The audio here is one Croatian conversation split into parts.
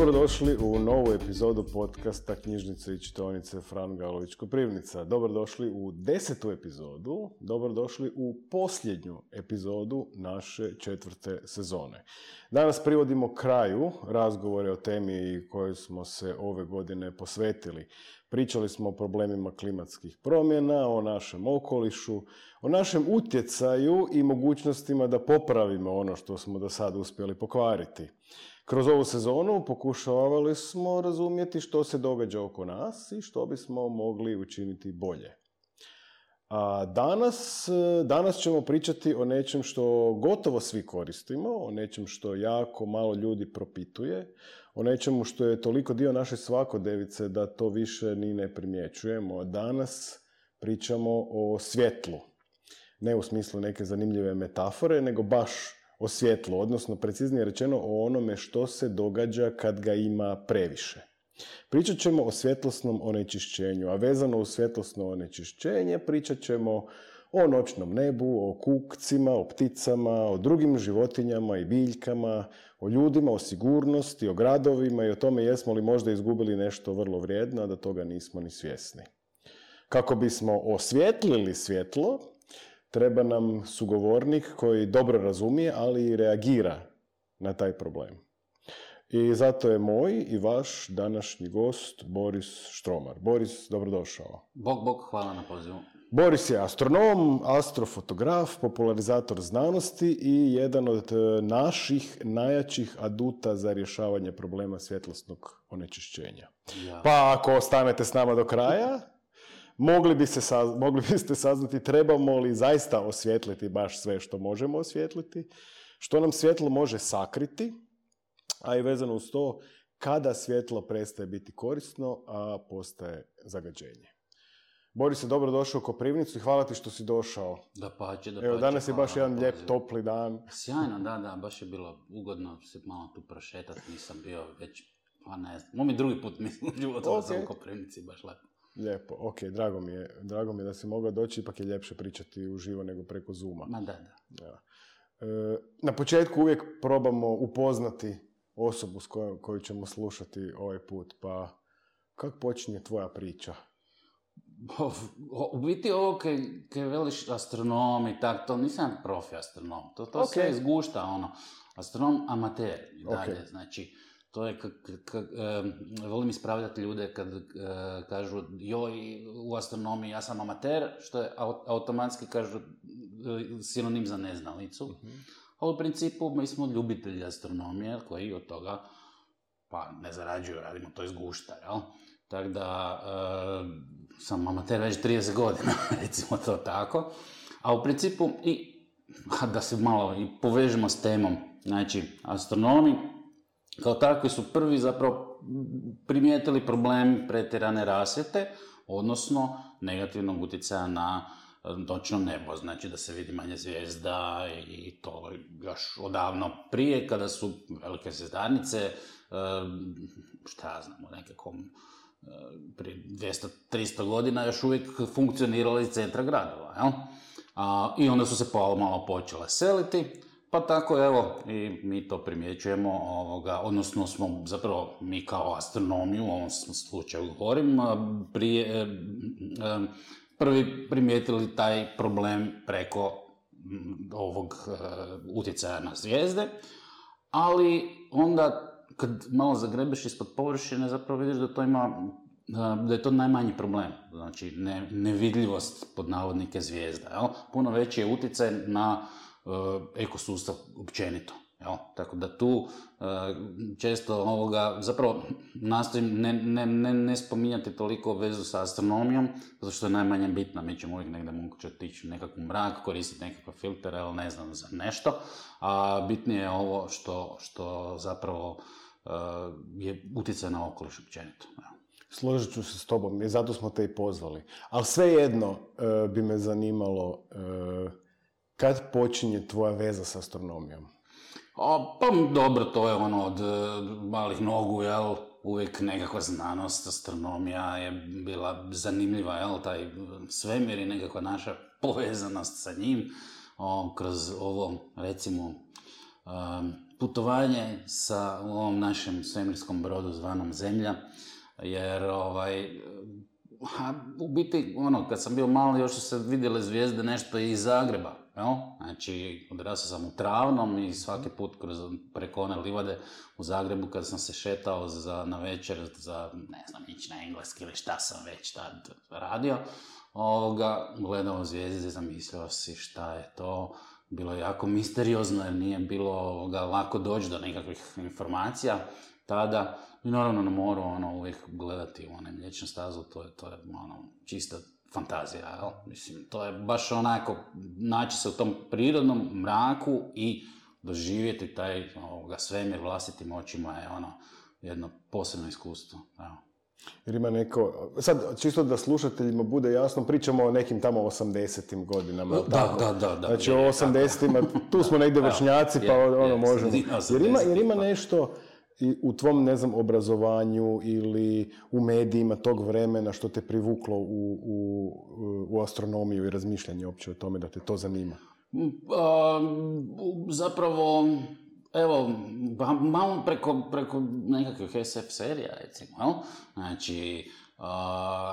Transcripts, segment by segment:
Dobrodošli u novu epizodu podcasta Knjižnice i čitaonice Fran Galović Koprivnica. Dobrodošli u 10. epizodu, dobrodošli u posljednju epizodu naše 4. sezone. Danas privodimo kraju razgovore o temi kojoj smo se ove godine posvetili. Pričali smo o problemima klimatskih promjena, o našem okolišu, o našem utjecaju i mogućnostima da popravimo ono što smo do sada uspjeli pokvariti. Kroz ovu sezonu pokušavali smo razumjeti što se događa oko nas i što bismo mogli učiniti bolje. A danas ćemo pričati o nečem što gotovo svi koristimo, o nečem što jako malo ljudi propituje, o nečemu što je toliko dio naše svakodnevice da to više ni ne primjećujemo. Danas pričamo o svjetlu. Ne u smislu neke zanimljive metafore, nego baš o svjetlu, odnosno preciznije rečeno o onome što se događa kad ga ima previše. Pričat ćemo o svjetlosnom onečišćenju, a vezano uz svjetlosno onečišćenje pričat ćemo o noćnom nebu, o kukcima, o pticama, o drugim životinjama i biljkama, o ljudima, o sigurnosti, o gradovima i o tome jesmo li možda izgubili nešto vrlo vrijedno, a da toga nismo ni svjesni. Kako bismo osvijetlili svjetlo, treba nam sugovornik koji dobro razumije, ali i reagira na taj problem. I zato je moj i vaš današnji gost Boris Štromar. Boris, dobrodošao. Bog, hvala na pozivu. Boris je astronom, astrofotograf, popularizator znanosti i jedan od naših najjačih aduta za rješavanje problema svjetlosnog onečišćenja. Ja. Pa ako ostanete s nama do kraja, mogli biste saznati trebamo li zaista osvijetliti baš sve što možemo osvijetliti, što nam svjetlo može sakriti, a i vezano uz to kada svjetlo prestaje biti korisno, a postaje zagađenje. Boris je dobro došao u Koprivnicu i hvala ti što si došao. Dapače. Evo, danas je baš jedan lijep, topli dan. Sjajno, da, baš je bilo ugodno se malo tu prošetati, nisam bio već, pa ne znam, moj mi drugi put mislim u životu da sam u Koprivnici, baš lepo. Lijepo, ok, drago mi je da si mogao doći, ipak je ljepše pričati uživo nego preko Zooma. Ma da. Ja. Na početku uvijek probamo upoznati osobu s koju ćemo slušati ovaj put, pa kako počinje tvoja priča? U biti ovo kaj veliš astronom i tako, to nisam profi astronom, to okay. Sve izgušta, astronom amater i dalje, okay. Znači, to je volim ispravljati ljude kad kažu joj, u astronomiji ja sam amater, što je automatski kažu sinonim za neznalicu. Mm-hmm. A u principu mi smo ljubitelji astronomije koji od toga pa ne zarađuju, radimo to iz gušta, jel? Tako da sam amater već 30 godina, recimo to tako. A u principu, da se malo i povežemo s temom, znači astronomi kao takvi su prvi zapravo primijetili problem pretjerane rasvjete, odnosno negativnog utjecaja na noćno nebo, znači da se vidi manje zvijezda i to još odavno prije kada su velike zvjezdarnice, šta ja znam, nekako prije 200-300 godina još uvijek funkcionirale iz centra gradova, jel? I onda su se malo počele seliti. Pa tako, evo, i mi to primjećujemo, odnosno smo zapravo mi kao astronomiju, u ovom slučaju govorim, prvi primijetili taj problem preko ovog utjecaja na zvijezde, ali onda kad malo zagrebeš ispod površine zapravo vidiš da je to najmanji problem, znači nevidljivost pod navodnike zvijezda, jel? Puno veći je utjecaj na ekosustav općenito. Jel? Tako da tu često zapravo nastojim ne spominjati toliko vezu sa astronomijom, zato što je najmanje bitna. Mi ćemo uvijek negdje moguće otići u nekakvu mrak, koristiti nekakve filtere, ali ne znam za nešto. A bitnije je ovo što zapravo je utjecaj na okoliš općenito. Jel? Složit ću se s tobom i zato smo te i pozvali. Ali svejedno bi me zanimalo kad počinje tvoja veza s astronomijom? Pa dobro, to je od malih nogu, jel? Uvijek nekakva znanost, astronomija je bila zanimljiva, jel? Taj svemir i nekakva naša povezanost sa njim, kroz ovo, recimo, putovanje sa ovom našem svemirskom brodu zvanom Zemlja, jer u biti, kad sam bio mali, još su se vidjele zvijezde nešto iz Zagreba, jel? Znači, odrasao sam u Travnom i svaki put preko one livade u Zagrebu, kada sam se šetao na večer za, ne znam, ići na engleski ili šta sam već tad radio, gledao zvijezde, zamislio si šta je to. Bilo je jako misteriozno jer nije bilo lako doći do nekakvih informacija tada. I naravno na moru uvijek gledati u onaj Mliječnu stazu, to je čista fantazija, jel? Mislim, to je baš onako naći se u tom prirodnom mraku i doživjeti taj svemir vlastitim očima je jedno posebno iskustvo. Evo. Jer ima neko, sad čisto da slušateljima bude jasno, pričamo o nekim tamo 80-im godinama. Da. Znači o 80-ima, tu smo negdje vršnjaci, pa možemo. Jer ima nešto i u tvom, ne znam, obrazovanju ili u medijima tog vremena što te privuklo u astronomiju i razmišljanje uopće o tome da te to zanima? Zapravo, evo, malo preko nekakvih SF serija, recimo, znači,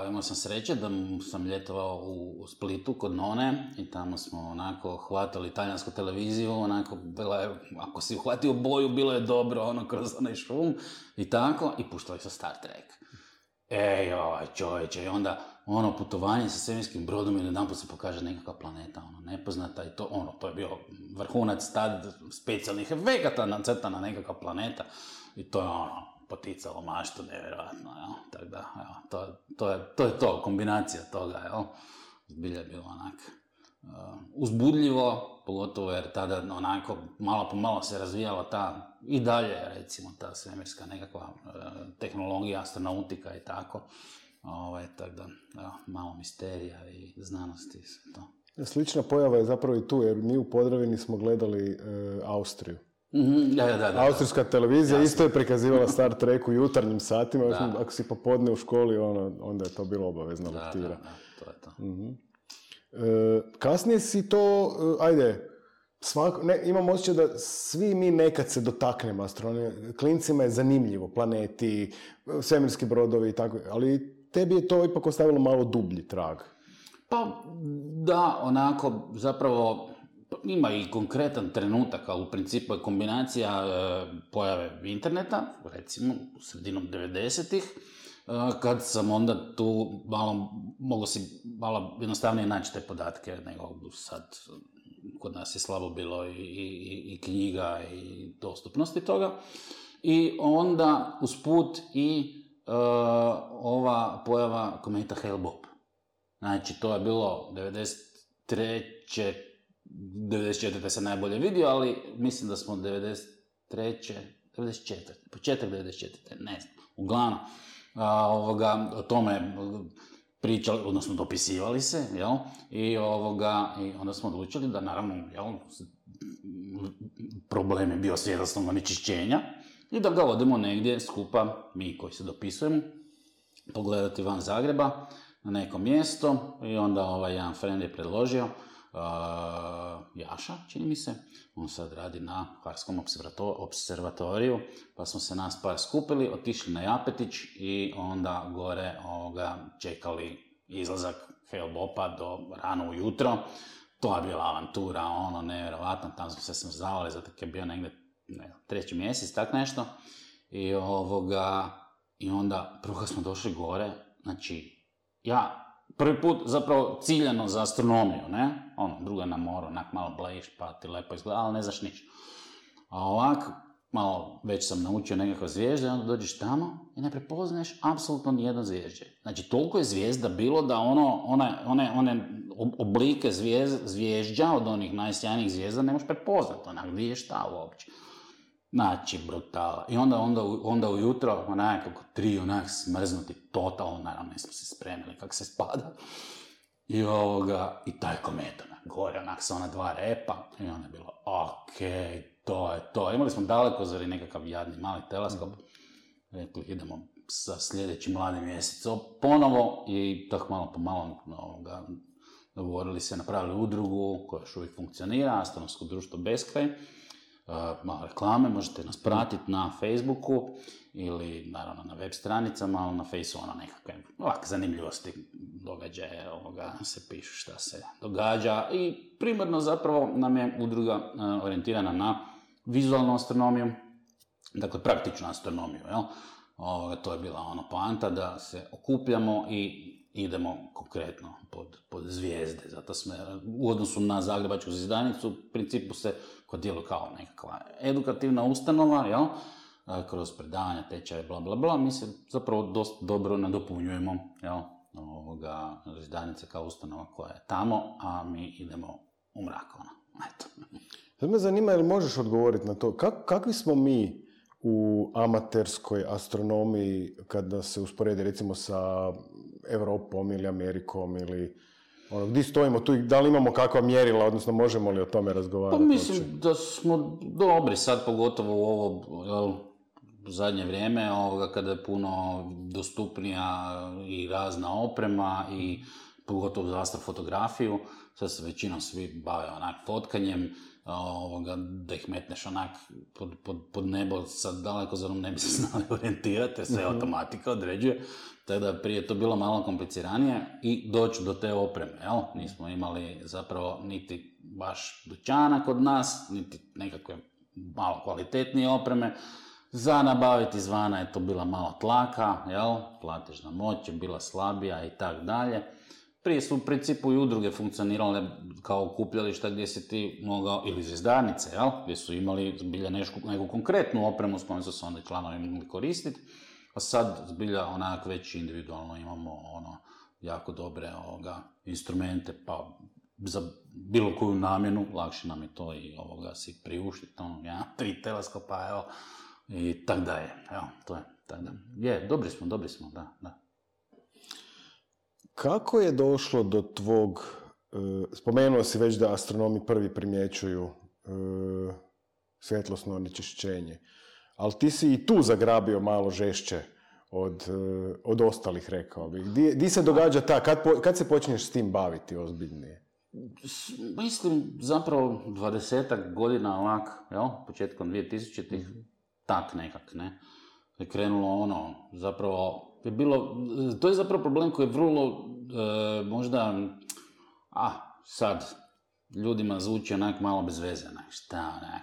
imao sam sreće da sam ljetovao u Splitu kod none i tamo smo onako hvatali talijansku televiziju, onako bila je, ako si uhvatio boju, bilo je dobro, kroz onaj šum i tako, i puštali su Star Trek. Čovječe, i onda putovanje sa svemirskim brodom i jedanput se pokaže nekakva planeta, nepoznata i to je bio vrhunac tad specijalnih efekata nacrtana nekakva planeta i to je poticalo maštu nevjerojatno, jel? Tako da, to je to, kombinacija toga, jel? Zbilja je bilo uzbudljivo, pogotovo jer tada malo po malo se razvijala ta, i dalje recimo ta svemirska nekakva tehnologija, astronautika i tako. Tako da, malo misterija i znanosti i to. Slična pojava je zapravo i tu, jer mi u Podravini smo gledali Austriju. Da. Austrijska televizija isto je prikazivala Star Trek u jutarnjim satima, ako si popodne u školi, onda je to bilo obavezna lektira. Da, to je to. Kasnije si to, imam osjećaj da svi mi nekad se dotaknemo astronomije. Klincima je zanimljivo, planeti, svemirski brodovi i tako, ali tebi je to ipak ostavilo malo dublji trag. Pa da, zapravo ima i konkretan trenutak, ali u principu je kombinacija pojave interneta, recimo u sredinom 90-ih, kad sam onda tu mogo si malo jednostavnije naći te podatke nego sad. Kod nas je slabo bilo i knjiga i dostupnosti toga. I onda usput i ova pojava kometa Hale-Bopp. Znači, to je bilo 94. se najbolje vidio, ali mislim da smo početak 94. ne znam, uglavnom. O tome pričali, odnosno dopisivali se, jel? I onda smo odlučili da, naravno, jel, problem je bio svjetlosnog onečišćenja i da ga odemo negdje skupa, mi koji se dopisujemo, pogledati van Zagreba na neko mjesto i onda jedan friend je predložio, Jaša, čini mi se, on sad radi na Hvarskom observatoriju, pa smo se nas par skupili, otišli na Japetić i onda gore čekali izlazak Hale-Boppa do rano ujutro. To je bila avantura, nevjerovatno, tam smo se smrzavali, zato je bio negdje 3. mjesec, tak nešto. I onda, prvo kad smo došli gore, znači, ja prvi put zapravo ciljano za astronomiju, ne? Druga na moru, malo blejiš, pa ti lepo izgleda, ali ne znaš ništa. A ovako, malo već sam naučio nekakve zvijezde, onda dođeš tamo i ne prepoznaješ apsolutno nijedno zvijezđe. Znači, toliko je zvijezda bilo da one oblike zvijezđa od onih najsjajnijih zvijezda ne možeš prepoznati, gdje je šta uopće. Znači, brutala. I onda ujutro, kako 3 smrznuti, totalno, naravno, nismo se spremili kako se spada. I taj komet, gore, sa ona 2 repa, i onda je bilo, to je to. Imali smo dalekozor i nekakav jadni mali teleskop. Rekli, idemo sa sljedećim mladim mjesecom ponovo i tako malo po malo dogovorili se, napravili udrugu koja još uvijek funkcionira, Astronomsko društvo Beskraj. malo reklame, možete nas pratiti na Facebooku ili naravno na web stranicama, ali na Faceu nekakve ovakve zanimljivosti, događaje, se pišu šta se događa i primarno zapravo nam je udruga orijentirana na vizualnu astronomiju, dakle praktičnu astronomiju, jel? To je bila poanta da se okupljamo i idemo konkretno pod zvijezde. Zato smo u odnosu na Zagrebačku zvijezdanicu u principu se kod djelu kao nekakva edukativna ustanova, jel? Kroz predavanja, tečaje, bla bla bla, mi se zapravo dosta dobro nadopunjujemo, jel? Zvijezdanice kao ustanova koja je tamo, a mi idemo u mrak. Eto. Sad me zanima, jel možeš odgovoriti na to, kakvi smo mi u amaterskoj astronomiji kada se usporedi recimo sa Europom ili Amerikom ili gdje stojimo tu i da li imamo kakva mjerila, odnosno možemo li o tome razgovarati? Pa mislim da smo dobri sad, pogotovo u ovo zadnje vrijeme, kada je puno dostupnija i razna oprema i pogotovo za astrofotografiju, sad se većinom svi bave fotkanjem, da ih metneš pod nebo, sad daleko za ne bi se znali orijentirati, jer sve automatika određuje, tako da prije to bilo malo kompliciranije i doći do te opreme, jel? Nismo imali zapravo niti baš dućana kod nas, niti nekakve malo kvalitetnije opreme, za nabaviti izvana je to bila malo tlaka, jel? Platežna moć je bila slabija i tak dalje. Prije su u principu i udruge funkcionirale kao okupljališta gdje si ti mogao, ili zvijezdarnice, jel? Gdje su imali zbilja neku konkretnu opremu s kojom su se onda članovi mogli koristiti, a sad zbilja već individualno imamo jako dobre instrumente, pa za bilo koju namjenu, lakše nam je to i si priuštiti, 3 teleskopa, evo, i tak da je, evo, to je, tak da. Dobri smo, da. Kako je došlo do tvog, spomenuo si već da astronomi prvi primjećuju svjetlosno onečišćenje, ali ti si i tu zagrabio malo žešće od ostalih, rekao bih. Di se događa kad se počneš s tim baviti ozbiljnije? Mislim, zapravo 20-ak godina početkom 2000-ih, tak nekak, ne? Je krenulo zapravo, to je zapravo problem koji je vrlo, možda, sad, ljudima zvuči malo bez veze,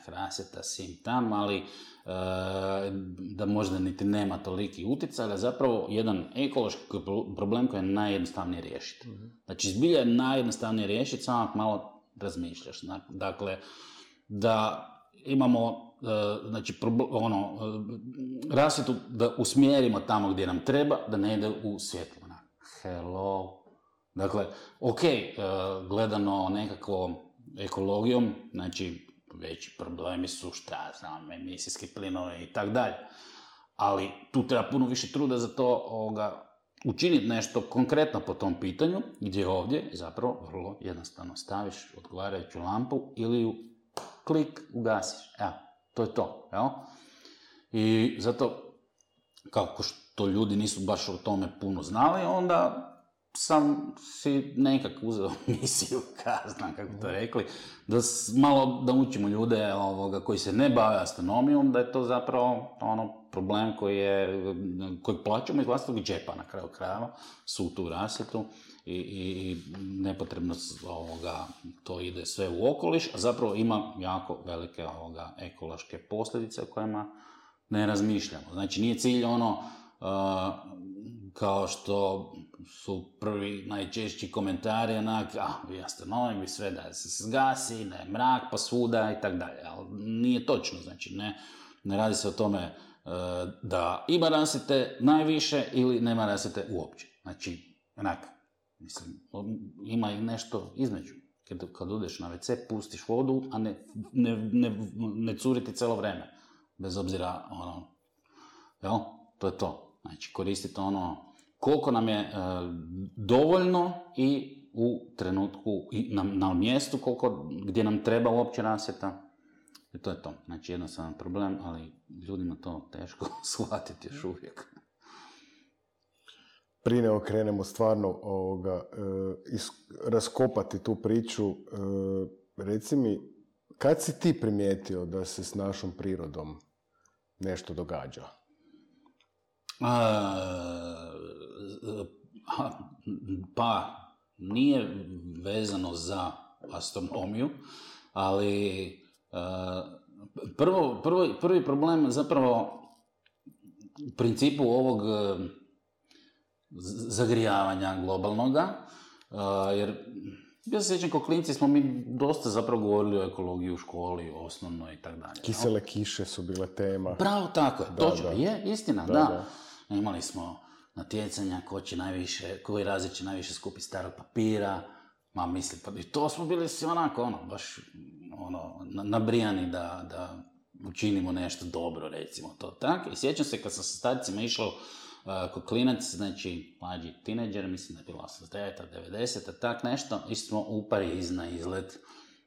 rasvjeta, sim tam, ali da možda niti nema toliki utjecaj, ali zapravo jedan ekološki problem koji je najjednostavnije riješiti. Znači, zbilja je najjednostavnije riješiti, samo malo razmišljaš. Dakle, da imamo rasvjetu da usmjerimo tamo gdje nam treba, da ne ide u svjetlo. Hello. Dakle, gledano nekako ekologijom, znači veći problemi su emisijski plinovi i tak dalje. Ali tu treba puno više truda za to učiniti nešto konkretno po tom pitanju, gdje ovdje zapravo vrlo jednostavno staviš odgovarajuću lampu ili ju klik ugasiš. Evo, to je to. Jel? I zato, kako što ljudi nisu baš o tome puno znali, onda sam si nekak uzeo misiju, znam kako to rekli, da malo da učimo ljude koji se ne bave astronomijom, da je to zapravo problem koji plaćamo iz vlastitog džepa na kraju krajeva, su tu rasvjetu i nepotrebno to ide sve u okoliš, a zapravo ima jako velike ekološke posljedice o kojima ne razmišljamo. Znači nije cilj kao što su prvi najčešći komentari vi astronomi, vi sve da se zgasi, da je mrak pa svuda i tako dalje, ali nije točno, znači ne radi se o tome da ima rasvjete najviše ili nema rasvjete uopće, znači mislim, ima i nešto između. Kad odeš na WC, pustiš vodu, a ne curiti cijelo vrijeme, bez obzira jel? To je to. Znači, koristite koliko nam je dovoljno i u trenutku, i na mjestu gdje nam treba uopće rasvjeta. I to je to. Znači, jednostavan problem, ali ljudima to teško shvatiti još uvijek. Prije nego krenemo stvarno raskopati tu priču, reci mi, kad si ti primijetio da se s našom prirodom nešto događa? Pa, nije vezano za astronomiju, ali prvi problem zapravo u principu ovog zagrijavanja globalnoga, jer ja se sjećam, kao klinci smo mi dosta zapravo govorili o ekologiji u školi, osnovnoj i tako dalje. Kisele kiše su bile tema. Bravo, tako je, točno, je, istina, da. Imali smo natjecanja koji razred će najviše skupiti starog papira, mislim, pa i to smo bili svi onako, baš nabrijani da učinimo nešto dobro, recimo to tako. I sjećam se kad sam sa starcima išao kod klinac, znači mlađi tineđer, mislim da je bilo 89-a, 90-a, tak nešto, išli smo u Pariz na izlet,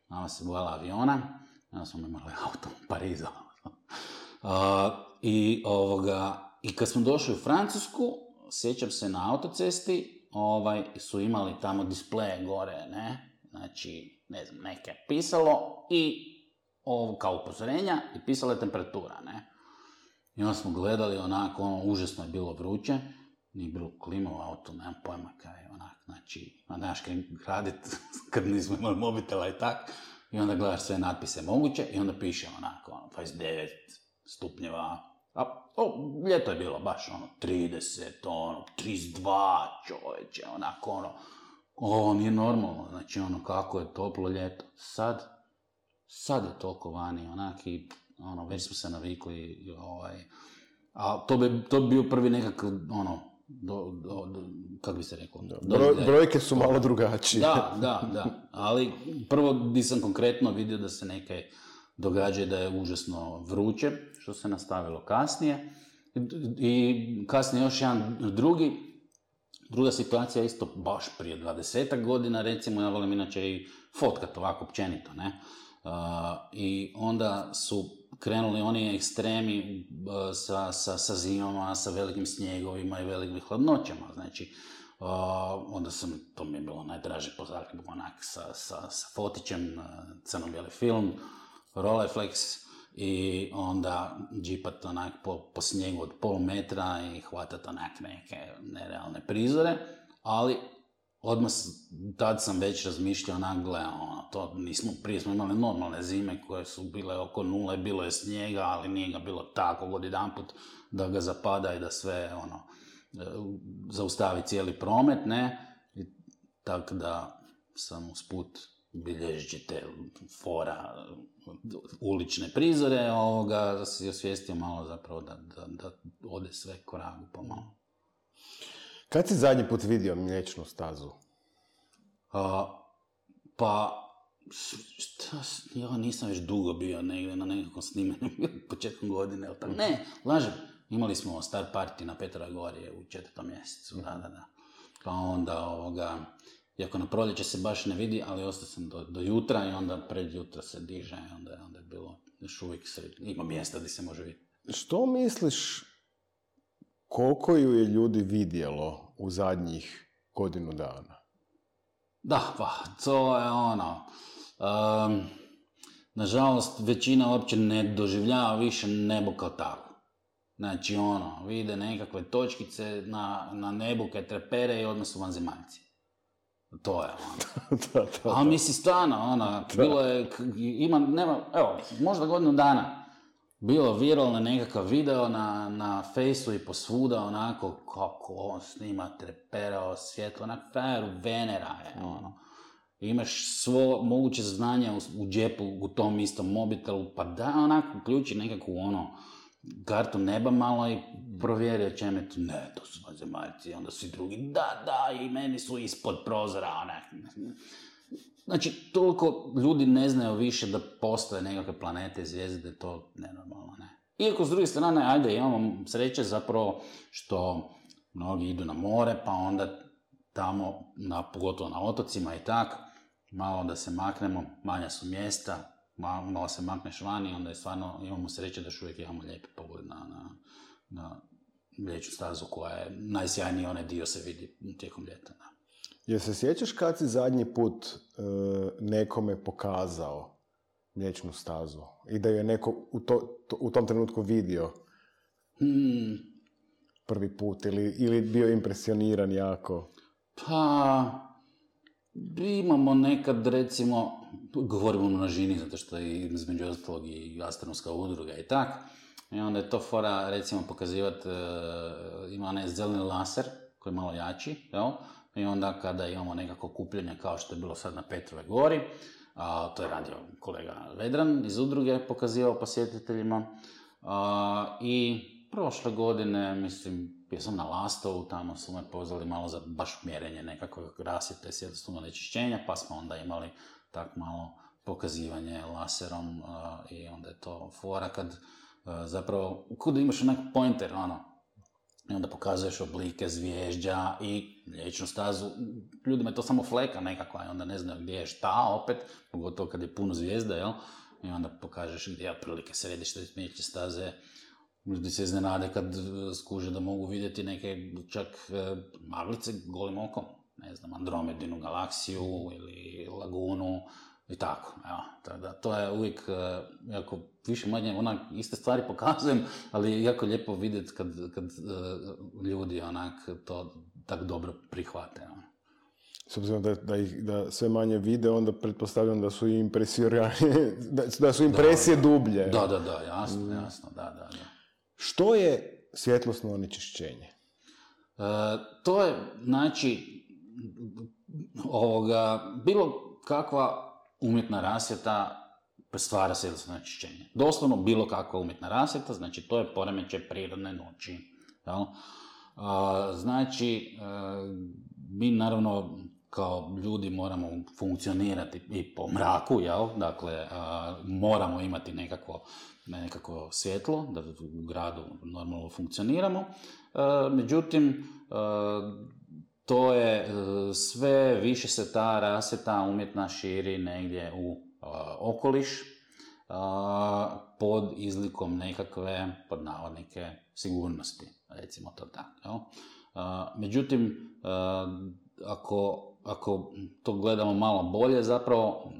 mama se bojala aviona, onda smo imali auto u Parizu. I kad smo došli u Francusku, sjećam se na autocesti, su imali tamo displeje gore, ne, znači, ne znam, neke pisalo i kao upozorenja i pisala je temperatura, ne. I onda smo gledali onako, užasno je bilo vruće, nije bilo klima u autu, nemam pojma kaj je onak, znači, znaš kaj radit kad nismo imali mobitela i tak, i onda gledaš sve natpise moguće i onda piše onako, 29 stupnjeva, ljeto je bilo baš 30, 32 čovječe, onako ovo nije normalno, znači kako je toplo ljeto, sad je toliko vani, onak i već smo se navikli, a to bi bio prvi nekakav, kako bi se rekao? Brojke su malo drugačije. Da, ali prvo nisam konkretno vidio da se neke događa da je užasno vruće, što se nastavilo kasnije, i kasnije još druga situacija isto baš prije 20 godina, recimo, ja volim inače i fotkat ovako općenito, ne? I onda su krenuli oni ekstremi sa zimama, sa velikim snjegovima i velikim hladnoćama, znači, onda to mi je bilo najdraže po Zagrebu, onak sa fotićem, crno-bijeli film, Rolleiflex, i onda džipat onak po snijegu od pol metra i hvatat onak neke nerealne prizore, ali odmah tad sam već razmišljao onak, prije smo imali normalne zime koje su bile oko nule, bilo je snijega, ali nije ga bilo tako odjedanput da ga zapada i da sve zaustavi cijeli promet, ne, i tako da sam usput bilježeći te fora ulične prizore, da si osvijestio malo zapravo da ode sve koragu pomalo. Kad si zadnji put vidio Mliječnu stazu? Ja nisam već dugo bio negdje na nekakvom snimanju, početkom godine, ne, lažem. Imali smo star party na Petroj gori u 4. mjesecu, da. Pa onda, iako na proljeće se baš ne vidi, ali ostao sam do jutra i onda pred jutra se diže i onda je bilo još uvijek ima mjesta gdje se može vidjeti. Što misliš, koliko ju je ljudi vidjelo u zadnjih godinu dana? Da, pa, to je nažalost, većina uopće ne doživljava više nebo kao tako. Znači, vide nekakve točkice na nebu kaj trepere i odmah su vanzemaljci. To je da. Ali misli stvarno, bilo je, možda godinu dana bilo viralno nekakav video na Fejsu i posvuda, onako, kako on snima, treperao svjetlo, onako, frajeru Venera je, Imaš svo moguće znanje u džepu, u tom istom mobitelu, pa da, onako, uključi nekakvu, kartu neba malo i provjeri o čem je to. Ne, to su vanzemaljci, onda svi drugi, da, i meni su ispod prozora, Znači, toliko ljudi ne znaju više da postoje nekakve planete i zvijezde, da je to nenormalno, ne. Iako, s druge strane, imamo sreće zapravo što mnogi idu na more, pa onda tamo, pogotovo na otocima i tak, malo da se maknemo, manja su mjesta, malo se makneš vani, onda je stvarno, imamo sreće da još uvijek imamo lijepi pogled na Mliječnu stazu, koja je najsjajniji, onaj dio se vidi tijekom ljeta. Da. Jel se sjećaš kad si zadnji put nekome pokazao mliječnu stazu i da ju je neko u tom trenutku vidio prvi put ili bio impresioniran jako? Pa, imamo nekad, recimo, govorimo o množini, zato što je između ostalog i astronomska udruga i tak, i onda je to fora, recimo, pokazivati, ima onaj zeleni laser, koji je malo jači, jel? I onda kada imamo nekako okupljanje, kao što je bilo sad na Petrovoj gori, to je radio kolega Vedran iz udruge, pokazivao posjetiteljima, i prošle godine, mislim, bio sam na Lastovu, tamo su me pozvali malo za baš mjerenje nekakvog rasvjete, svjetlosnog onečišćenja, pa smo onda imali tak malo pokazivanje laserom, i onda je to fora kad zapravo, kuda imaš onak pointer, i onda pokazuješ oblike zvježđa i mliječnu stazu. Ljudima je to samo fleka nekakva i onda ne znaju gdje je šta opet, pogotovo kad je puno zvijezda, jel? I onda pokažeš gdje je otprilike središte mliječne staze. Ljudi se iznenade kad skuže da mogu vidjeti neke čak maglice golim okom. Ne znam, Andromedinu galaksiju ili lagunu i tako. Evo, to je uvijek jako više manje onak iste stvari pokazujem, ali je jako lijepo vidjeti kad ljudi onak to tako dobro prihvate. S obzirom da sve manje vide, onda pretpostavljam da su i da su impresije dublje. Da, jasno, da. Što je svjetlosno onečišćenje? To je, znači, bilo kakva umjetna rasvjeta stvara svjetlosno onečišćenje. Doslovno bilo kakva umjetna rasvjeta, znači to je poremećaj prirodne noći. Jel? Znači, mi naravno kao ljudi moramo funkcionirati i po mraku, jel? Dakle, moramo imati nekakvo svjetlo, da u gradu normalno funkcioniramo. Međutim, to je sve više se ta rasvjeta umjetna širi negdje u okoliš pod izlikom nekakve, pod navodnike, sigurnosti, recimo to tako. Međutim, ako to gledamo malo bolje, zapravo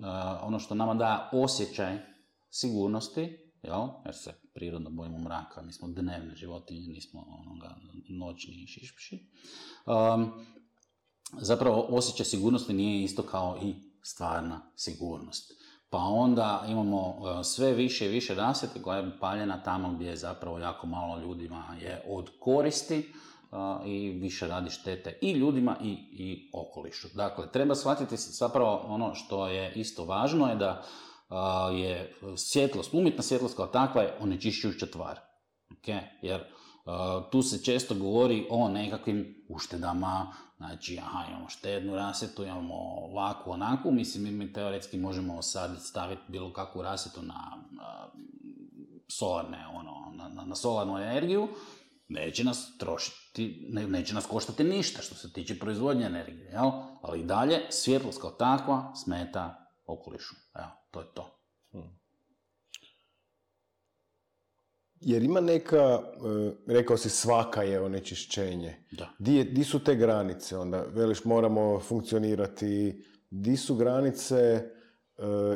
ono što nama daje osjećaj sigurnosti, jer se prirodno bojimo mraka, mi smo dnevne životinje, nismo noćni šišpiši. Zapravo osjećaj sigurnosti nije isto kao i stvarna sigurnost. Pa onda imamo sve više i više rasvjete koja je paljena tamo gdje je zapravo jako malo ljudima je od koristi i više radi štete i ljudima i okolišu. Dakle, treba shvatiti zapravo ono što je isto važno je da je svjetlost, umjetna svjetlost kao takva je onečišćujuća tvar. Okay? Jer tu se često govori o nekakvim uštedama, znači imamo štednu rasvjetu, imamo ovakvu, onakvu, mislim mi teoretski možemo sad staviti bilo kakvu rasvjetu na solarne, na solarnu energiju, neće nas trošiti, neće nas koštati ništa što se tiče proizvodnje energije, jel? Ali i dalje svjetlost kao takva smeta okolišu. Evo, to je to. Jer ima neka, rekao si svaka je onečišćenje. Da. Di su te granice onda? Veliš moramo funkcionirati, di su granice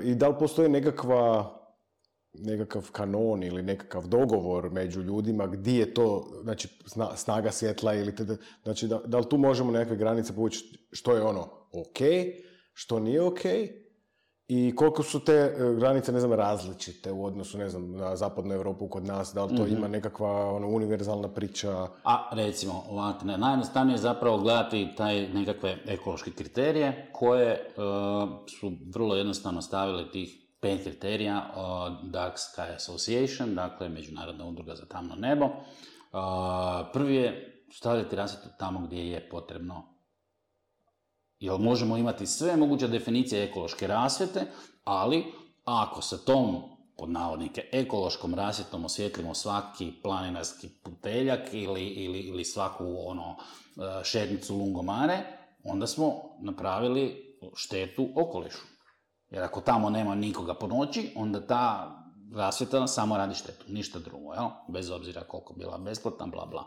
i da li postoji nekakav kanon ili nekakav dogovor među ljudima gdje je to, znači snaga svjetla ili znači da li tu možemo nekakve granice povući što je ok, što nije ok i koliko su te granice, različite u odnosu, na zapadnu Europu kod nas, da li to ima nekakva univerzalna priča? A recimo, ovako, najjednostavnije je zapravo gledati taj nekakve ekološke kriterije koje su vrlo jednostavno stavili tih 5 kriterija, Dark Sky Association, dakle Međunarodna udruga za tamno nebo. Prvi je stavljati rasvjetu tamo gdje je potrebno. Jer možemo imati sve moguće definicije ekološke rasvjete, ali ako se tom, pod navodnike, ekološkom rasvjetom osvjetlimo svaki planinarski puteljak ili svaku šetnicu lungomare, onda smo napravili štetu okolišu. Jer ako tamo nema nikoga po noći, onda ta rasvjeta samo radi štetu, ništa drugo, jel? Bez obzira koliko bila besplatna, bla bla.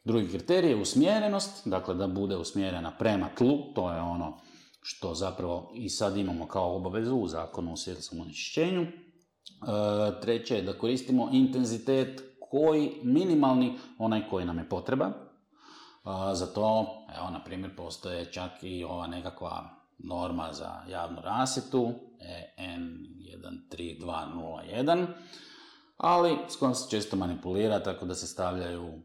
Drugi kriterij je usmjerenost, dakle da bude usmjerena prema tlu, to je ono što zapravo i sad imamo kao obavezu u zakonu o svjetlosnom onečišćenju. Treće je da koristimo intenzitet koji, minimalni, onaj koji nam je potreba. Za to, evo, na primjer, postoje čak i ova nekakva norma za javnu rasvjetu, EN13201, ali s kojom se često manipulira, tako da se stavljaju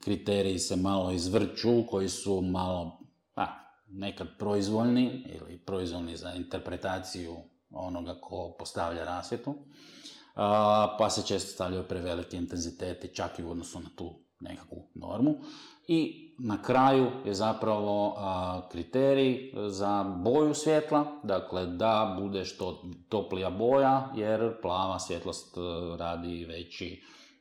kriteriji, se malo izvrću, koji su malo nekad proizvoljni ili proizvoljni za interpretaciju onoga ko postavlja rasvjetu, pa se često stavljaju preveliki intenziteti, čak i u odnosu na tu nekakvu normu. I na kraju je zapravo kriterij za boju svjetla, dakle da bude što toplija boja, jer plava svjetlost radi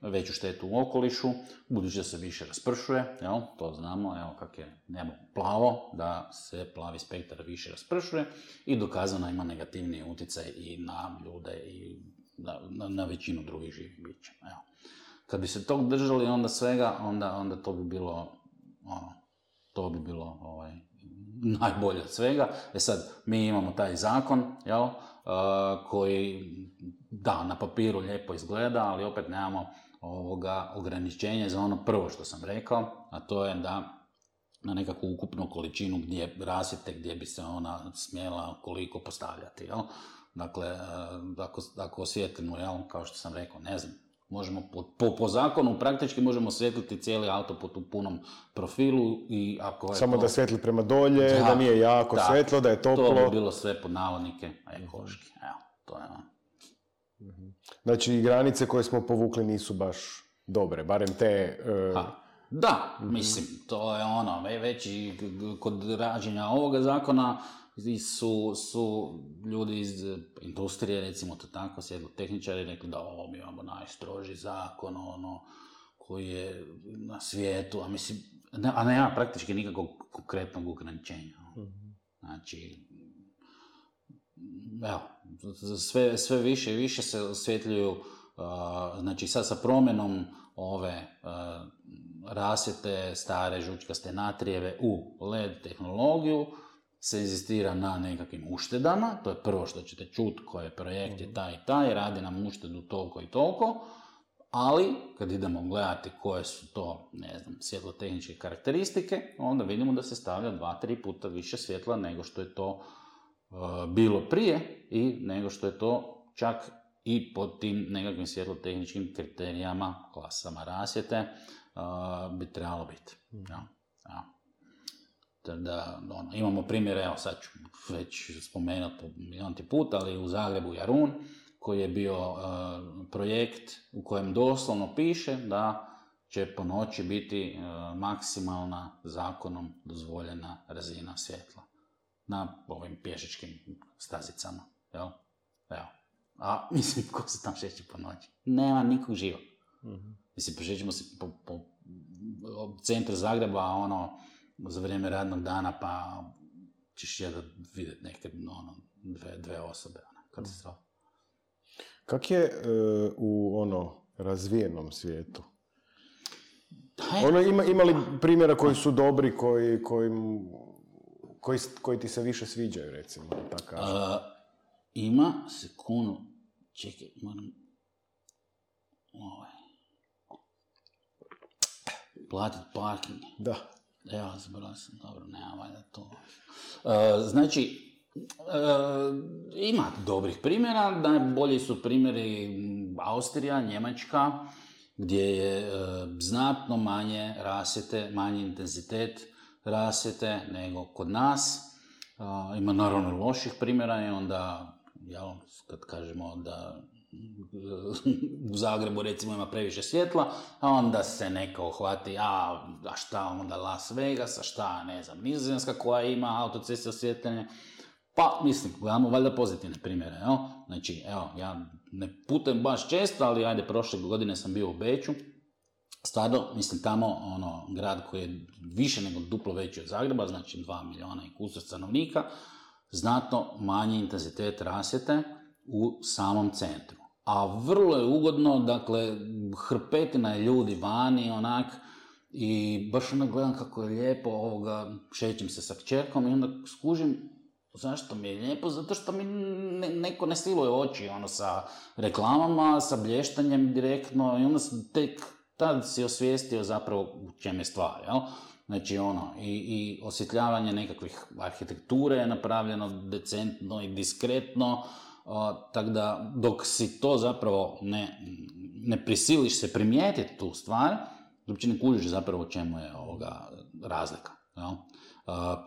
veću štetu u okolišu, budući da se više raspršuje, jel? To znamo, evo kak je nebo plavo, da se plavi spektar više raspršuje i dokazano ima negativni utjecaj i na ljude i na većinu drugih živih bića. Evo. Kad bi se tog držali onda svega, onda to bi bilo najbolje od svega. Sad, mi imamo taj zakon, jel, koji, da, na papiru lijepo izgleda, ali opet nemamo ograničenje za ono prvo što sam rekao, a to je da na nekakvu ukupnu količinu rasvjete gdje bi se ona smjela koliko postavljati, jel. Dakle, ako osvjetlimo, jel, kao što sam rekao, ne znam, možemo po zakonu praktički možemo osvijetliti cijeli autoput u punom profilu i ako je samo da svijetli prema dolje, da nije jako svjetlo, da je toplo. To bi bilo sve pod navodnike ekološki. Evo, to je ono. Znači, granice koje smo povukli nisu baš dobre, barem te... Da, mislim, to je ono, već i kod rađenja ovoga zakona su ljudi iz industrije, recimo to tako, svjetlotehničari, rekli da mi imamo najstroži zakon, koji je na svijetu, a mislim, nema praktički nikakvog konkretnog ograničenja. Znači, evo, sve više i više se osvjetljuju, znači sad sa promjenom ove rasvjete, stare žučkaste natrijeve u LED tehnologiju, se inzistira na nekakvim uštedama, to je prvo što ćete čuti, koji projekt je taj i taj, radi nam uštedu toliko i toliko, ali kad idemo gledati koje su to, ne znam, svjetlotehničke karakteristike, onda vidimo da se stavlja 2-3 puta više svjetla nego što je to bilo prije i nego što je to čak i pod tim nekakvim svjetlotehničkim kriterijama, klasama rasvjete, bi trebalo biti. Da, imamo primjer, evo sad ću već spomenuti milionti put, ali u Zagrebu Jarun, koji je bio projekt u kojem doslovno piše da će po noći biti maksimalna zakonom dozvoljena razina svjetla na ovim pješačkim stazicama. Jel? Evo. A mislim, ko se tam šeće po noći? Nema nikog živog. Mislim, prošećemo se po centru Zagreba, za vrijeme radnog dana, pa ćeš vidjeti neke, dve osobe, katastrofa. Kak je u razvijenom svijetu? Ima li primjera koji su dobri, koji ti se više sviđaju, recimo, tako kažem? Ima, sekundu, čekaj, moram... Platiti parking. Da. Evo, zbrao sam, dobro, nema valjda to. Znači, ima dobrih primjera, najbolji su primjeri Austrija, Njemačka, gdje je znatno manje rasvjete, manji intenzitet rasvjete nego kod nas. Ima naravno loših primjera i onda, kad kažemo da u Zagrebu recimo ima previše svjetla, a onda se neko uhvati, a šta onda Las Vegas, a šta, ne znam, Nizozemska koja ima autoceste osvjetljene. Pa, mislim, gledamo valjda pozitivne primjere, jel? Znači, evo, ja ne putujem baš često, ali ajde, prošle godine sam bio u Beču. Stvarno, mislim, tamo, grad koji je više nego duplo veći od Zagreba, znači 2 milijuna i kusur stanovnika, znatno manji intenzitet rasvjete u samom centru. A vrlo je ugodno, dakle, hrpetina je ljudi vani, i baš gledam kako je lijepo, šećem se sa kćerkom i onda skužim, Zašto mi je lijepo? Zato što mi neko ne siluje oči sa reklamama, sa blještanjem direktno i onda tek tad si osvijestio zapravo u čem je stvar, jel? Znači i osvjetljavanje nekakvih arhitekture je napravljeno decentno i diskretno, tako da dok si to zapravo ne prisiliš se primijetiti tu stvar, uopće ne kužiš zapravo u čemu je razlika, jel?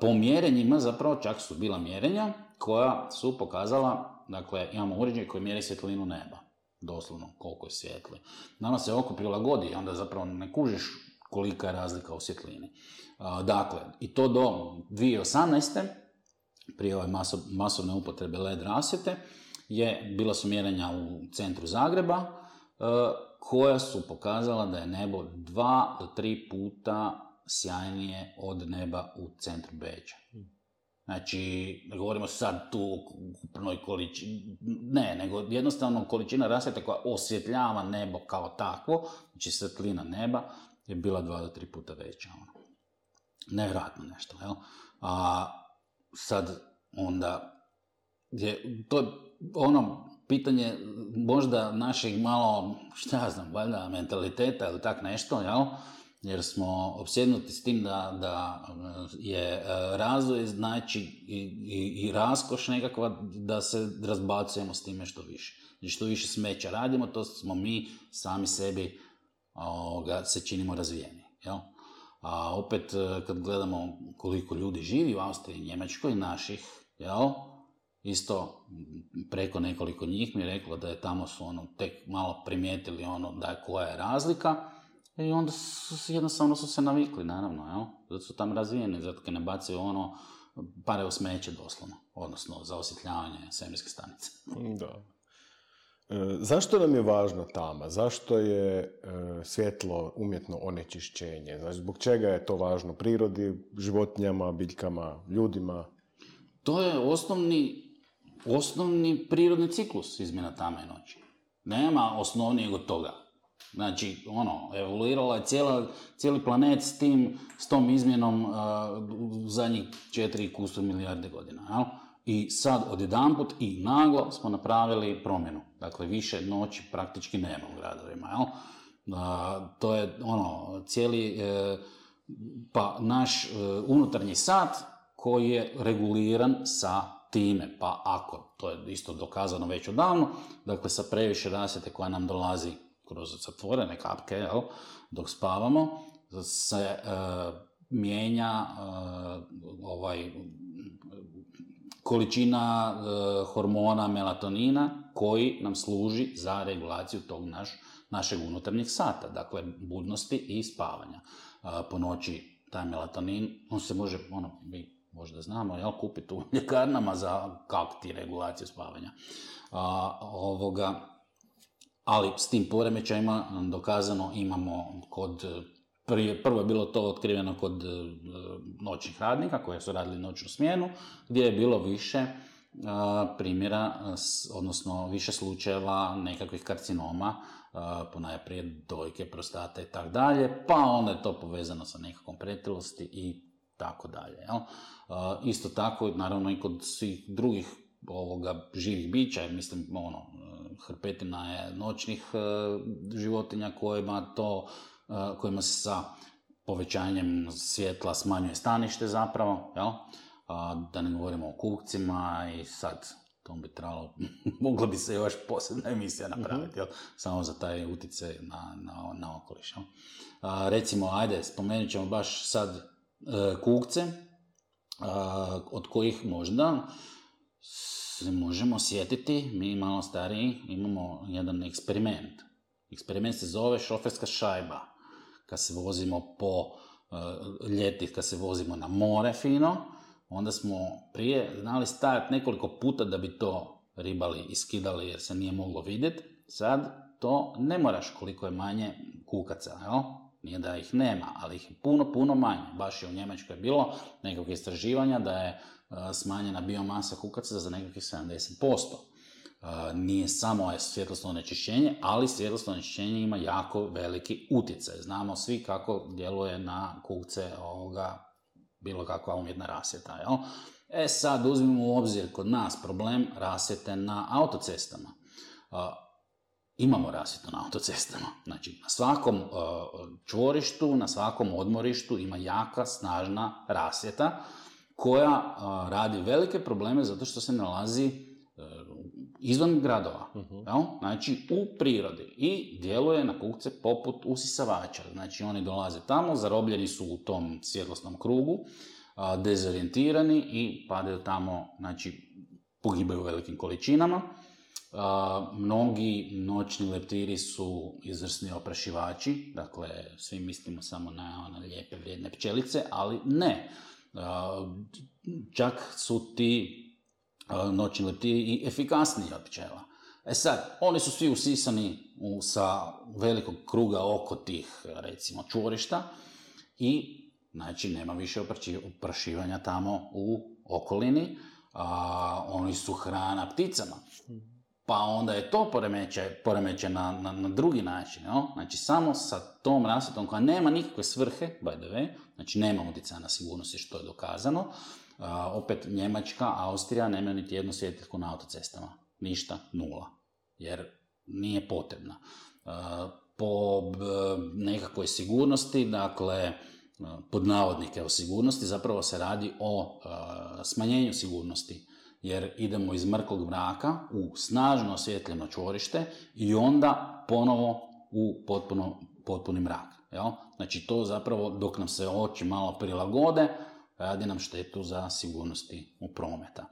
Po mjerenjima zapravo čak su bila mjerenja koja su pokazala, dakle imamo uređaj koji mjeri svjetlinu neba, doslovno koliko je svijetli. Nama se oko prilagodi, onda zapravo ne kužiš kolika je razlika u svjetlini. Dakle, i to do 2018. prije ove masovne upotrebe LED rasvjete, bila su mjerenja u centru Zagreba, koja su pokazala da je nebo 2 do 3 puta sjajnije od neba u centru Beča. Znači, ne govorimo sad tu o ukupnoj količini, nego jednostavno količina rasvjete koja osvjetljava nebo kao takvo, znači svjetlina neba, je bila 2 do 3 puta veća. Nevjerojatno nešto, jel? A sad onda, to je pitanje možda našeg malo, valjda mentaliteta ili tak nešto, jel? Jer smo opsjednuti s tim da je razvoj znači i raskoš nekakva da se razbacujemo s time što više. Znači što više smeća radimo, to smo mi sami sebi se činimo razvijeni. Jel? A opet kad gledamo koliko ljudi živi u Austriji i Njemačkoj, naših, jel? Isto preko nekoliko njih mi je reklo da je tamo su tek malo primijetili da je koja je razlika. I onda jednostavno su se navikli, naravno, jel? Zato su tam razvijeni, zato kad ne bacaju pare u smeće doslovno, odnosno za osvjetljavanje svemirske stanice. Da. Zašto nam je važna tama? Zašto je svjetlo umjetno onečišćenje? Znači, zbog čega je to važno prirodi, životinjama, biljkama, ljudima? To je osnovni prirodni ciklus izmjena tame i noći. Nema osnovnijeg od toga. Znači, evoluirala je cijeli planet s tom izmjenom u zadnjih 4 milijarde godina. Jel? I sad odjedanput i naglo smo napravili promjenu. Dakle, više noći praktički nema u gradovima. Jel? To je cijeli naš unutarnji sat koji je reguliran sa time. Pa ako, to je isto dokazano već odavno, dakle sa previše rasvjete koja nam dolazi kroz zatvorene kapke, jel, dok spavamo, se mijenja količina hormona melatonina koji nam služi za regulaciju tog našeg unutarnjeg sata, dakle budnosti i spavanja. Po noći taj melatonin, on se može, mi možda znamo, jel, kupiti u ljekarnama za kakti regulaciju spavanja. Ali s tim poremećajima dokazano imamo prvo je bilo to otkriveno kod noćnih radnika koji su radili noćnu smjenu, gdje je bilo više primjera, odnosno više slučajeva nekakvih karcinoma, ponajprije dojke, prostate i tako dalje, pa onda je to povezano sa nekakvom pretilosti i tako dalje. Isto tako, naravno i kod svih drugih živih bića, mislim, hrpetina je noćnih životinja kojima se sa povećanjem svjetla smanjuje stanište zapravo, jel? Da ne govorimo o kukcima i sad to bi trebalo, mogla bi se još posebna emisija napraviti, jel? Samo za taj utjecaj na okoliš. Jel? Recimo, spomenut ćemo baš sad kukce, od kojih možda se možemo sjetiti, mi malo stariji imamo jedan eksperiment. Eksperiment se zove šoferska šajba. Kad se vozimo po ljeti, kad se vozimo na more fino, onda smo prije znali stajati nekoliko puta da bi to ribali i skidali jer se nije moglo vidjeti. Sad to ne moraš koliko je manje kukaca, jel? Nije da ih nema, ali ih je puno, puno manje. Baš je u Njemačkoj bilo nekog istraživanja da je smanjena biomasa kukaca za nekakvih 70%. Nije samo svjetlosno onečišćenje, ali svjetlosno onečišćenje ima jako veliki utjecaj. Znamo svi kako djeluje na kukce bilo kakva umjetna rasvjeta. Jel? Sad uzmimo u obzir kod nas problem rasvjete na autocestama. Imamo rasvjetu na autocestama. Znači, na svakom čvorištu, na svakom odmorištu ima jaka, snažna rasvjeta koja radi velike probleme zato što se nalazi izvan gradova. Znači, u prirodi i djeluje na kukce poput usisavača. Znači, oni dolaze tamo, zarobljeni su u tom svjetlosnom krugu, dezorijentirani i padaju tamo, znači, pogibaju u velikim količinama. Mnogi noćni leptiri su izvrsni oprašivači, dakle, svi mislimo samo na one lijepe, vrijedne pčelice, ali ne. Čak su ti noćni leptiri i efikasniji od pčela. Sad, oni su svi usisani sa velikog kruga oko tih, recimo, čvorišta i, znači, nema više oprašivanja tamo u okolini, oni su hrana pticama. Pa onda je to poremeće na drugi način. No? Znači, samo sa tom rasvjetom koja nema nikakve svrhe, by the way, znači nema utjecaja na sigurnosti, što je dokazano. Opet Njemačka, Austrija nemaju niti jednu svjetiljku na autocestama. Ništa, nula. Jer nije potrebna. Po nekakvoj sigurnosti, dakle, pod navodnike o sigurnosti, zapravo se radi o smanjenju sigurnosti. Jer idemo iz mrkog mraka u snažno osvjetljeno čvorište i onda ponovo u potpuni mrak. Jel? Znači, to zapravo, dok nam se oči malo prilagode, radi nam štetu za sigurnosti u prometa.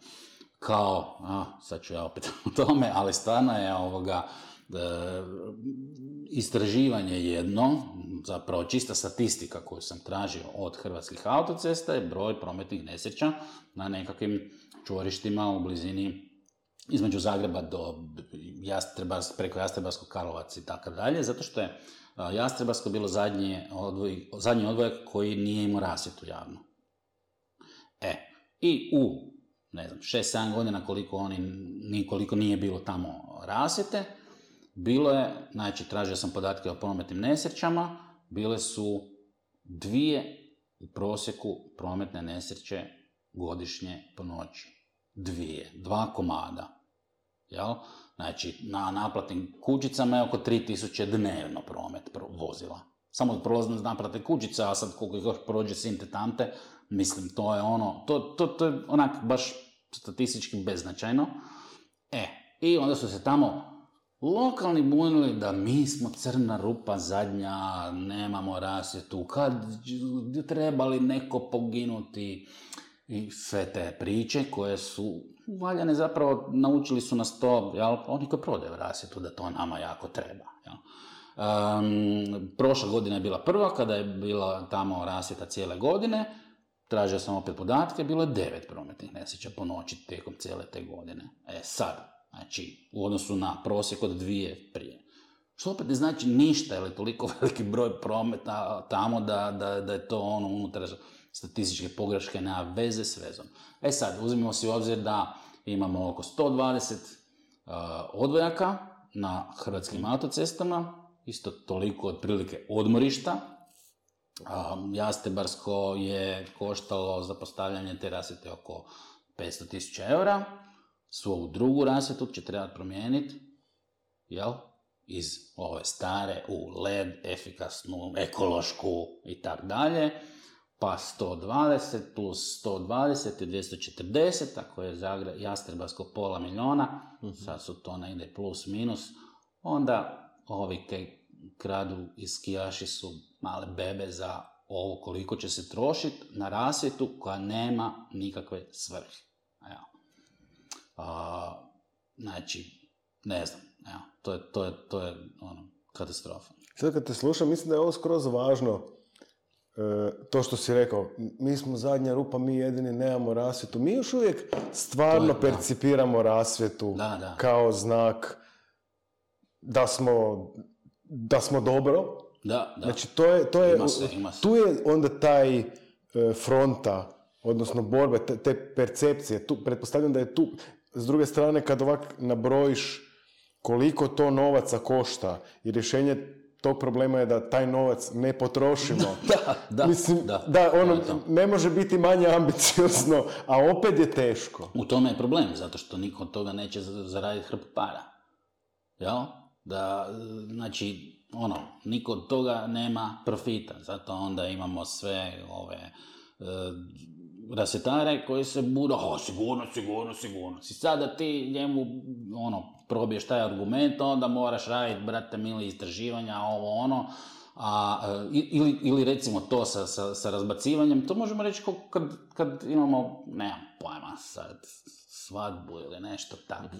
Kao, sad ću ja opet o tome, ali stvarno je istraživanje jedno, zapravo čista statistika koju sam tražio od Hrvatskih autocesta je broj prometnih nesreća na nekakvim čvorištima u blizini između Zagreba do preko Jastrebarskog, Karlovac i tako dalje, zato što je Jastrebarsko bilo zadnji odvojak koji nije imao rasvjetu javno. I u, 6-7 godina koliko nije bilo tamo rasvjete, bilo je, znači, tražio sam podatke o prometnim nesrećama, bile su 2 u prosjeku prometne nesreće godišnje po noći. 2 komada. Jel? Znači, na naplatnim kućicama je oko 3000 dnevno promet vozila. Samo prolazno naplatne kućice, a sad koliko ih još prođe sinte tamte, mislim, to je to je onak baš statistički beznačajno. I onda su se tamo lokalni bunili da mi smo crna rupa zadnja, nemamo rasvjetu, kad trebali neko poginuti i sve te priče koje su valjane, zapravo naučili su nas to, jel, oni koji prodaju rasvjetu, da to nama jako treba. Jel. Prošla godina je bila prva, kada je bila tamo rasvjeta cijele godine, tražio sam opet podatke, bilo je 9 prometnih nesreća po noći tijekom cijele te godine. Sad, znači, u odnosu na prosjek od 2 prije. Što opet ne znači ništa, ili toliko veliki broj prometa tamo da je to unutar statističke pogreške, nema veze s vezom. Sad, uzmimo si u obzir da imamo oko 120 odvojaka na hrvatskim autocestama, isto toliko otprilike odmorišta. Jastrebarsko je koštalo za postavljanje te rasvjete oko 500.000 eura. Svoju drugu rasvjetu će trebati promijeniti, jel? Iz ove stare u LED, efikasnu, ekološku i tak dalje. Pa 120 plus 120 je 240, ako je Jastrebarsko $500,000, sad su to negdje plus minus, onda ovi koji kradu i skijaši su male bebe za ovo koliko će se trošiti na rasvjetu koja nema nikakve svrhe. Znači, ne znam, to je katastrofa. Sad kad te slušam, mislim da je ovo skroz važno, to što si rekao, mi smo zadnja rupa, mi jedini nemamo rasvjetu. Mi još uvijek stvarno percipiramo rasvjetu kao znak da smo dobro. Da. Znači, tu je onda taj fronta, odnosno borbe, te percepcije. Pretpostavljam da je tu, s druge strane, kad ovak nabrojiš koliko to novaca košta i rješenje tog problema je da taj novac ne potrošimo. Mislim, to. Ne može biti manje ambiciozno, a opet je teško. U tome je problem, zato što niko od toga neće zaraditi hrpu para. Jel? Znači, niko od toga nema profita, zato onda imamo sve ove rasvjetare koji se budu, sigurnost. I sada ti njemu, probiješ taj argument, onda moraš raditi, brate mili, istraživanja, ili recimo to sa razbacivanjem, to možemo reći kad imamo, nemam pojma, sad, svadbu ili nešto tako.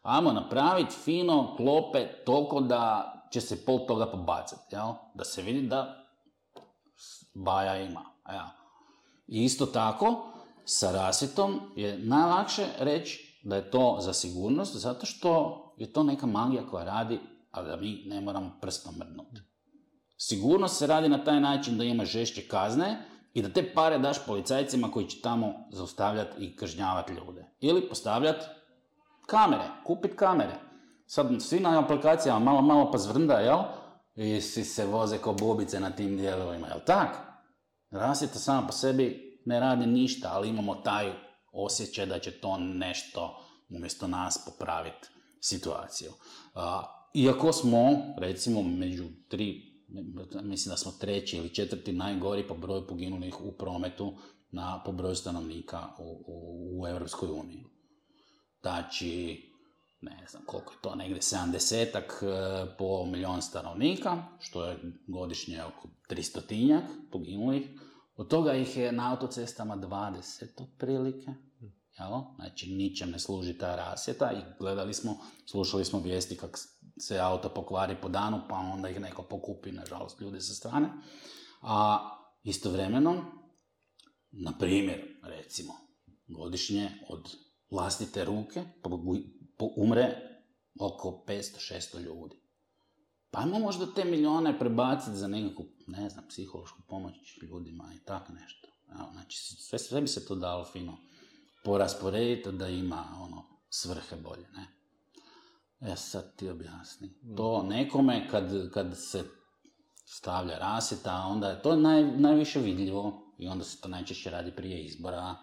Ajmo napraviti fino klope toliko da će se pol toga pobacati, jel? Da se vidi da baja ima. Jel? I isto tako, sa rasvjetom je najlakše reći da je to za sigurnost, zato što je to neka magija koja radi, a da mi ne moramo prstom mrdnuti. Sigurnost se radi na taj način da imaš žešće kazne i da te pare daš policajcima koji će tamo zaustavljati i kažnjavati ljude. Ili postavljati kamere, kupiti kamere. Sad svi na aplikacijama malo pa zvrnda, jel? I svi se voze ko bubice na tim dijelovima, jel tak? Rasvjeta sama po sebi ne radi ništa, ali imamo taj osjećaj da će to nešto umjesto nas popraviti situaciju. Iako smo, recimo, među mislim da smo 3. ili 4. najgori po broju poginulih u prometu po broju stanovnika u Europskoj uniji. Znači, ne znam koliko je to, negdje 70-ak po milion stanovnika, što je godišnje oko 300-tinjak poginulih. Od toga ih je na autocestama 20 otprilike. Jel? Znači, ničem ne služi ta rasvjeta i slušali smo vijesti kako se auto pokvari po danu, pa onda ih neko pokupi, nažalost, ljudi sa strane. A istovremeno, na primjer, recimo, godišnje od vlastite ruke umre oko 500-600 ljudi. Pa ajmo možda te milijone prebaciti za nekakvu, ne znam, psihološku pomoć ljudima i tako nešto. Znači, sve bi se to dalo fino porasporediti da ima svrhe bolje, ne? Sad ti objasni. To nekome kad se stavlja rasvjeta, onda je to najviše vidljivo i onda se to najčešće radi prije izbora,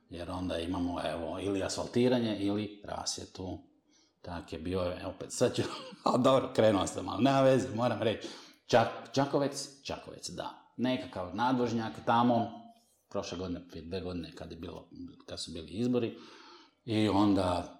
jer onda imamo, ili asfaltiranje ili rasvjetu. Tak je bio, opet sad ću, dobro, krenuo sam, ali nema veze, moram reći. Čakovec, da. Nekakav nadvožnjak tamo, prošle godine, 2 godine kad su bili izbori, i onda,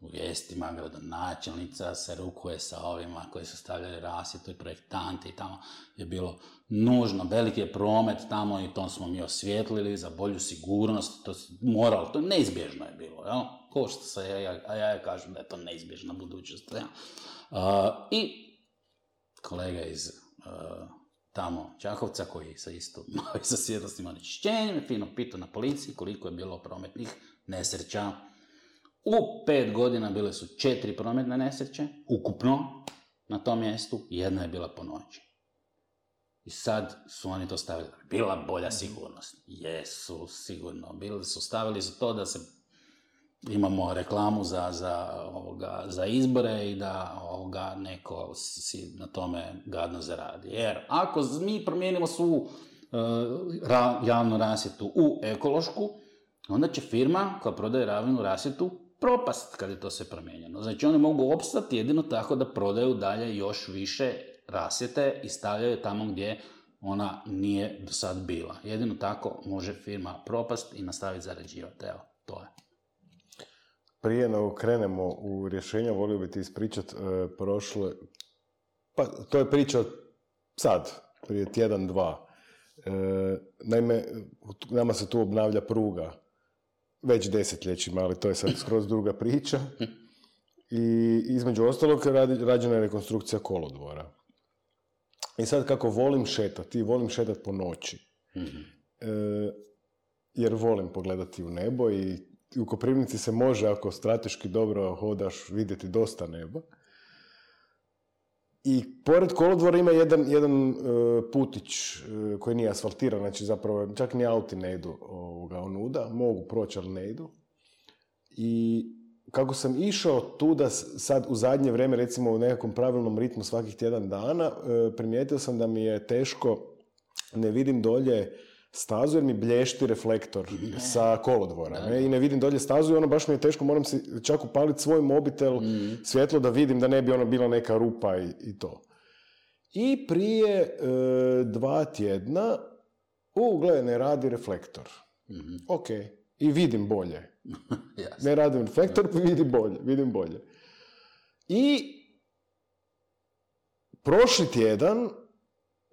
u vijestima gradonačelnica se rukuje sa ovima koji su stavljali rasvjetu i projektanti i tamo je bilo nužno, veliki je promet tamo i to smo mi osvijetlili za bolju sigurnost, to moralo, to neizbježno je bilo, jel? Ko što se ja kažem da je to neizbježna budućnost. I kolega iz tamo Čakovca koji se isto sa svjetlosnim onečišćenjem fino pitao na policiji koliko je bilo prometnih nesreća. U 5 godina bile su 4 prometne nesreće, ukupno na tom mjestu, 1 je bila po noći. I sad su oni to stavili. Bila bolja sigurnost. Jesu, sigurno. Stavili su to da se imamo reklamu za izbore i da neko si na tome gadno zaradi. Jer ako mi promijenimo svu javnu rasvjetu u ekološku, onda će firma koja prodaje javnu rasvjetu propast kad je to sve promijenjeno. Znači oni mogu opstati jedino tako da prodaju dalje još više rasvjete i stavljaju tamo gdje ona nije do sad bila. Jedino tako može firma propast i nastaviti zarađivati. Evo, to je. Prije nego krenemo u rješenja, volio bi ti ispričati prošle... Pa, to je priča sad, prije tjedan, 2. Naime, nama se tu obnavlja pruga već desetljećima, ali to je sad skroz druga priča. I između ostalog rađena je rekonstrukcija kolodvora. I sad kako volim šetati po noći. Mm-hmm. Jer volim pogledati u nebo i u Koprivnici se može, ako strateški dobro hodaš, vidjeti dosta neba. I pored kolodvora ima jedan putić koji nije asfaltiran, znači zapravo čak ni auti ne idu onuda, mogu proći, ali ne idu. I kako sam išao tu da sad u zadnje vrijeme, recimo u nekakvom pravilnom ritmu svakih tjedan dana, primijetio sam da mi je teško, ne vidim dolje stazu jer mi blješti reflektor sa kolodvora. I ne vidim dolje stazu i ono baš mi je teško, moram si čak upaliti svoj mobitel, svjetlo da vidim da ne bi ono bila neka rupa i to. I prije 2 tjedna, gledaj, ne radi reflektor. Ok, i vidim bolje. Ne radim reflektor, vidim bolje. I prošli tjedan,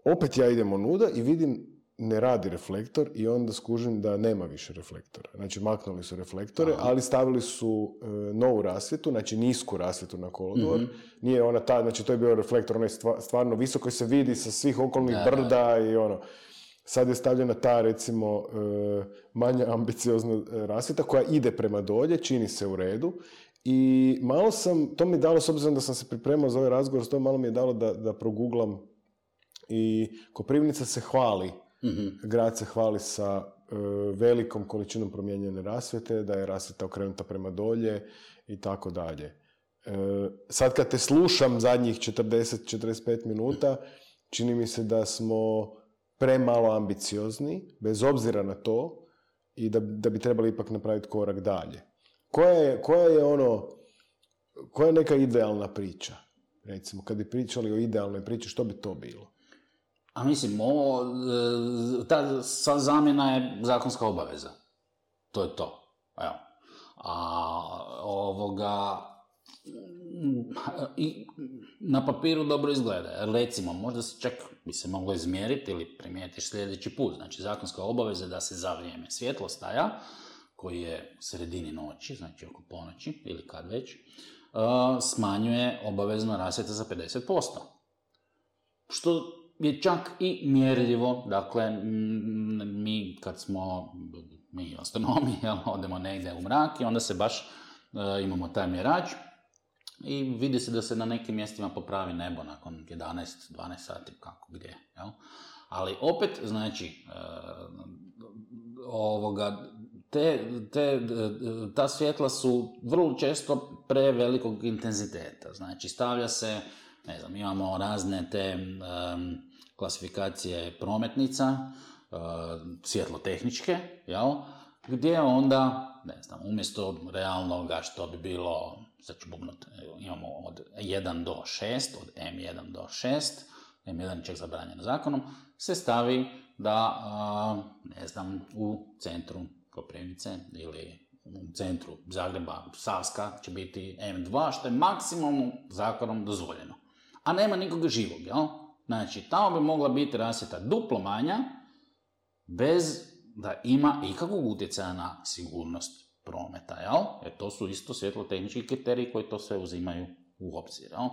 opet ja idem onuda i vidim ne radi reflektor i onda skužim da nema više reflektora. Znači, maknuli su reflektore, ali stavili su novu rasvjetu, znači nisku rasvjetu na kolodvor. Nije ona ta, znači to je bio reflektor, onaj stvarno visoko se vidi sa svih okolnih brda i ono. Sad je stavljena ta, recimo, manja ambiciozna rasvjeta koja ide prema dolje, čini se u redu. I malo sam, to mi je dalo, s obzirom da sam se pripremao za ovaj razgovor, to malo mi je dalo da proguglam. I Koprivnica se hvali, grad se hvali sa velikom količinom promijenjene rasvjete, da je rasvjeta okrenuta prema dolje i tako dalje. Sad kad te slušam zadnjih 40-45 minuta, čini mi se da smo premalo ambiciozni, bez obzira na to, i da bi trebali ipak napraviti korak dalje. Koja je neka idealna priča? Recimo, kad bi pričali o idealnoj priči, što bi to bilo? A mislim, ta zamjena je zakonska obaveza. To je to. Evo. I na papiru dobro izgleda. Recimo, možda se čak bi se moglo izmjeriti ili primijetiš sljedeći put. Znači, zakonska obaveza da se za vrijeme svjetlostaja, koji je u sredini noći, znači oko ponoći ili kad već, smanjuje obavezno rasvjeta za 50%. Što je čak i mjerljivo. Dakle, mi kad smo, mi astronomi, odemo negdje u mrak i onda se baš imamo taj mjerač i vidi se da se na nekim mjestima popravi nebo nakon 11-12 sati, kako gdje. Jel? Ali opet, znači, ta svjetla su vrlo često prevelikog intenziteta. Znači, stavlja se, ne znam, imamo razne te klasifikacije prometnica, svjetlotehničke, jel? Gdje onda, ne znam, umjesto realnoga što bi bilo, sad ću bubnuti, imamo od 1 do 6, od M1 do 6, M1 čak zabranjeno zakonom, se stavi da, ne znam, u centru Koprivnice ili u centru Zagreba, Savska, će biti M2, što je maksimalno zakonom dozvoljeno. A nema nikoga živog, jel? Znači, tamo bi mogla biti rasvjeta duplo manja, bez da ima ikakvog utjecaja na sigurnost prometa, jel? Jer to su isto svjetlotehnički kriteriji koji to sve uzimaju u obzir, jel?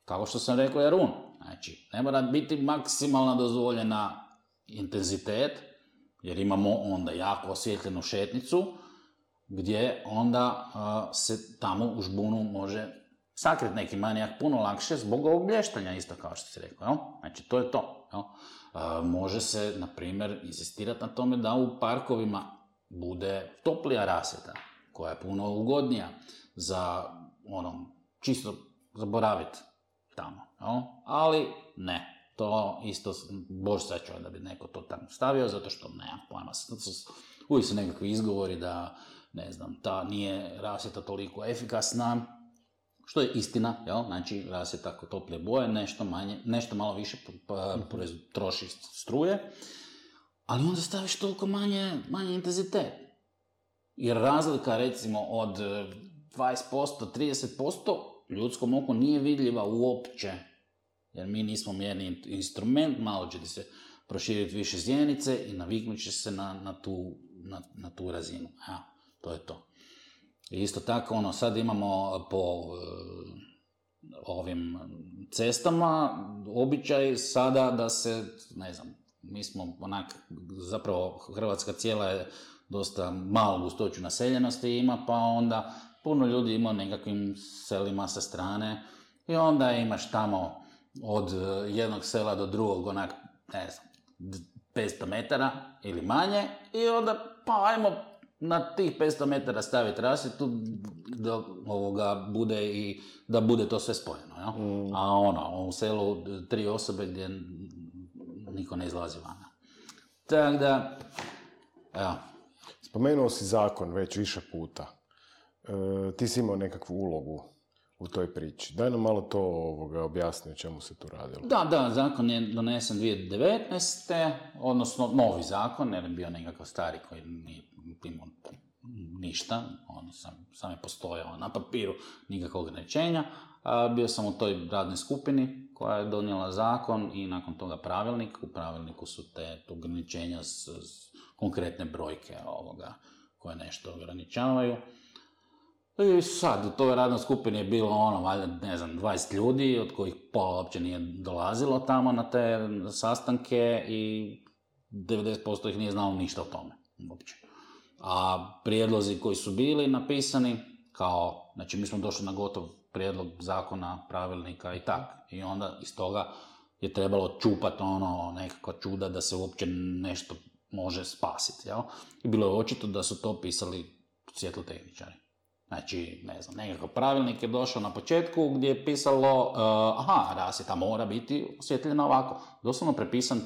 Kao što sam rekao, Jarun, znači, ne mora biti maksimalna dozvoljena intenzitet, jer imamo onda jako osvjetljenu šetnicu, gdje onda se tamo u žbunu može sakriti neki manijak puno lakše zbog ovog blještanja, isto kao što si rekao, jel? Znači, to je to, jel? Može se, na primjer, insistirati na tome da u parkovima bude toplija rasvjeta, koja je puno ugodnija za, čisto zaboraviti tamo, jel? Ali ne. To isto, bož sačuva da bi neko to tamo stavio, zato što nemam pojma. Uvijek su nekakvi izgovori da, ne znam, ta nije rasvjeta toliko efikasna, što je istina, jel? Znači, rasvjeta kod toplije boje, nešto malo više troši struje, ali onda staviš toliko manje intenzitet. Jer razlika, recimo, od 20%, 30% ljudskom oku nije vidljiva uopće. Jer mi nismo mjerni instrument, malo će ti se proširiti više zjenice i naviknut će se na tu razinu. Ja, to je to. I isto tako, sad imamo po ovim cestama običaj sada da se, ne znam, mi smo zapravo Hrvatska cijela je dosta malu gustoću naseljenosti ima, pa onda puno ljudi ima nekakvim selima sa strane i onda imaš tamo od jednog sela do drugog, ne znam, 500 metara ili manje i onda, pa ajmo na tih 500 metara staviti rasvjetu da bude to sve spojeno. Ja? A u selu 3 osobe gdje niko ne izlazi van. Tako da, evo. Spomenuo si zakon već više puta. Ti si imao nekakvu ulogu u toj priči. Daj nam malo to objasni o čemu se tu radilo. Da, zakon je donesen 2019. Odnosno novi zakon, jer je bio nekakav stari koji nije imao ništa, sam je postojao na papiru, nikakvog ograničenja. Bio sam u toj radnoj skupini koja je donijela zakon i nakon toga pravilnik. U pravilniku su te ograničenja s konkretne brojke koje nešto ograničavaju. I sad, u toj radnoj skupini je bilo valjda, 20 ljudi, od kojih pola uopće nije dolazilo tamo na te sastanke i 90% ih nije znalo ništa o tome uopće. A prijedlozi koji su bili napisani, znači mi smo došli na gotov prijedlog zakona, pravilnika i tak. I onda iz toga je trebalo čupati nekakva čuda da se uopće nešto može spasiti. Jel? I bilo je očito da su to pisali svjetlotehničari. Znači, nekakav pravilnik je došao na početku gdje je pisalo rasvjeta mora biti osvjetljena ovako. Doslovno prepisan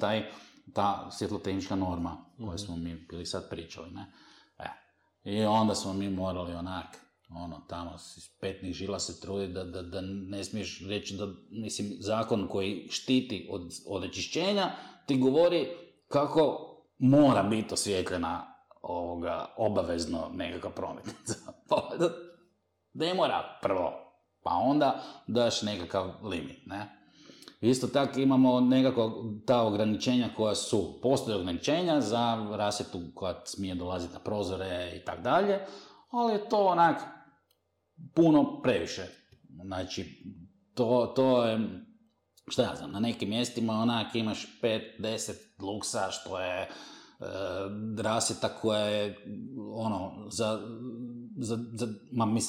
ta svjetlotehnička norma koju smo mi bili sad pričali. Ne? I onda smo mi morali tamo iz petnih žila se trudi da ne smiješ reći da, zakon koji štiti od onečišćenja ti govori kako mora biti osvjetljena obavezno nekakva prometnica. Ne mora prvo, pa onda daš nekakav limit, ne? Isto tako imamo nekako ta ograničenja koja postoje ograničenja za rasvjetu koja smije dolaziti na prozore i tak dalje, ali je to puno previše. Znači, to je, šta ja znam, na nekim mjestima imaš 5-10 luksa, što je rasvjeta koja je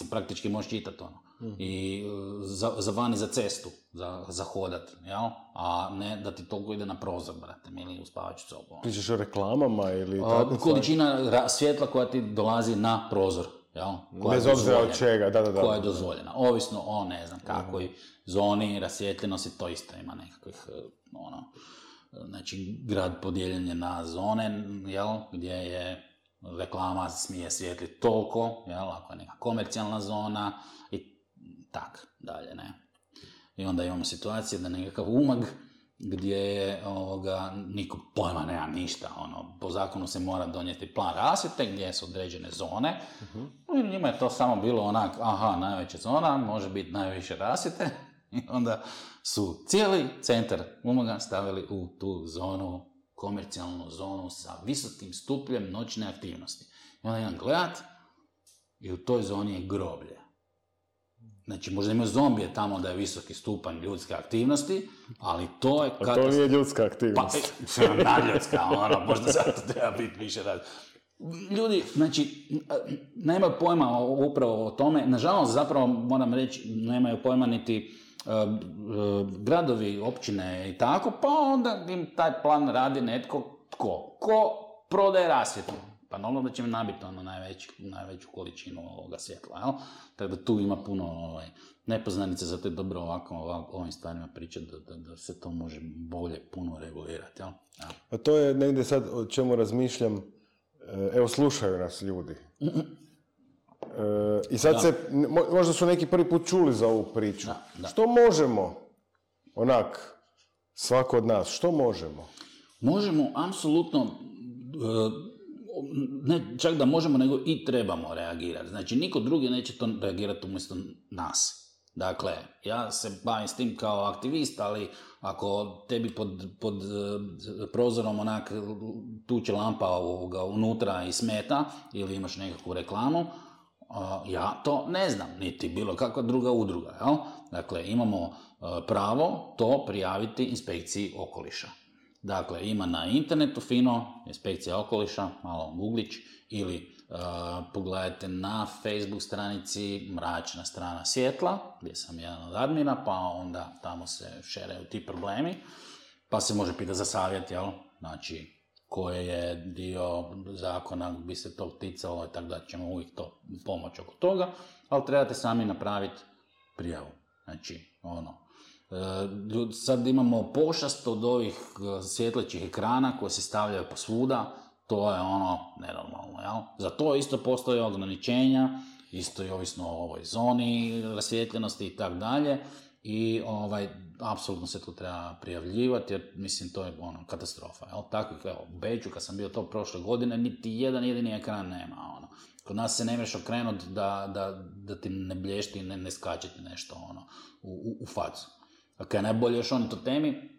praktički možeš čitati i za van i za cestu za hodat, jel? A ne da ti toliko ide na prozor, brate, ili u spavaću sobu. Pričaš o reklamama ili količina svjetla koja ti dolazi na prozor, jel? Bez obzira od čega, da. Koja je dozvoljena, ovisno o ne znam kakvoj zoni rasvjetljenosti, to isto ima nekakvih znači grad podijeljen je na zone, jel, gdje je reklama smije svijetliti toliko, jel, ako je neka komercijalna zona i tak dalje, ne. I onda imamo situacije da nekakav umag gdje je niko pojma nema ništa, po zakonu se mora donijeti plan rasvjete gdje su određene zone, i njima je to samo bilo najveća zona, može biti najviše rasvjete, i onda su cijeli centar umaga stavili u tu zonu, komercijalnu zonu sa visokim stupnjem noćne aktivnosti. I onda jedan gledat i u toj zoni je groblje. Znači, možda imaju zombije tamo da je visoki stupanj ljudske aktivnosti, ali to je... A to nije ljudska aktivnost. Pa, nadljudska, možda zato treba biti više rad. Ljudi, znači, nemaju pojma upravo o tome. Nažalost, zapravo, moram reći, nemaju pojma niti gradovi, općine i tako, pa onda im taj plan radi netko ko prodaje rasvjetu. Pa normalno da će im nabiti najveću količinu ovoga svjetla, jel? Tako da tu ima puno nepoznanica, zato je dobro ovim stvarima pričati da se to može bolje puno regulirati, jel? Ja. A to je negdje sad o čemu razmišljam, evo slušaju nas ljudi. I sad možda su neki prvi put čuli za ovu priču. Da. Što možemo, svako od nas, što možemo? Možemo, apsolutno, ne čak da možemo, nego i trebamo reagirati. Znači, niko drugi neće to reagirati umjesto nas. Dakle, ja se bavim s tim kao aktivist, ali ako tebi pod prozorom tuče lampa unutra i smeta, ili imaš nekakvu reklamu, ja to ne znam, niti bilo kakva druga udruga. Jel? Dakle, imamo pravo to prijaviti inspekciji okoliša. Dakle, ima na internetu fino, inspekcija okoliša, malo googlić, ili pogledajte na Facebook stranici Mračna strana svjetla, gdje sam jedan od admina, pa onda tamo se šeraju ti problemi, pa se može pitati za savjet, jel? Znači, koje je dio zakona bi se to ticalo, tako da ćemo uvijek to pomoći oko toga, ali trebate sami napraviti prijavu. Znači, sad imamo pošast od ovih svjetlećih ekrana koje se stavljaju posvuda, to je nenormalno, jel? Za to isto postoje ograničenja, isto i ovisno o ovoj zoni rasvijetljenosti i tako dalje, i apsolutno se tu treba prijavljivati, jer mislim to je katastrofa, jel? Takvih, u Beću kad sam bio to prošle godine, niti jedan jedini ekran nema, Kod nas se ne možeš okrenuti da ti ne blješti i ne skače ti nešto u facu. A kaj najbolje još to temi,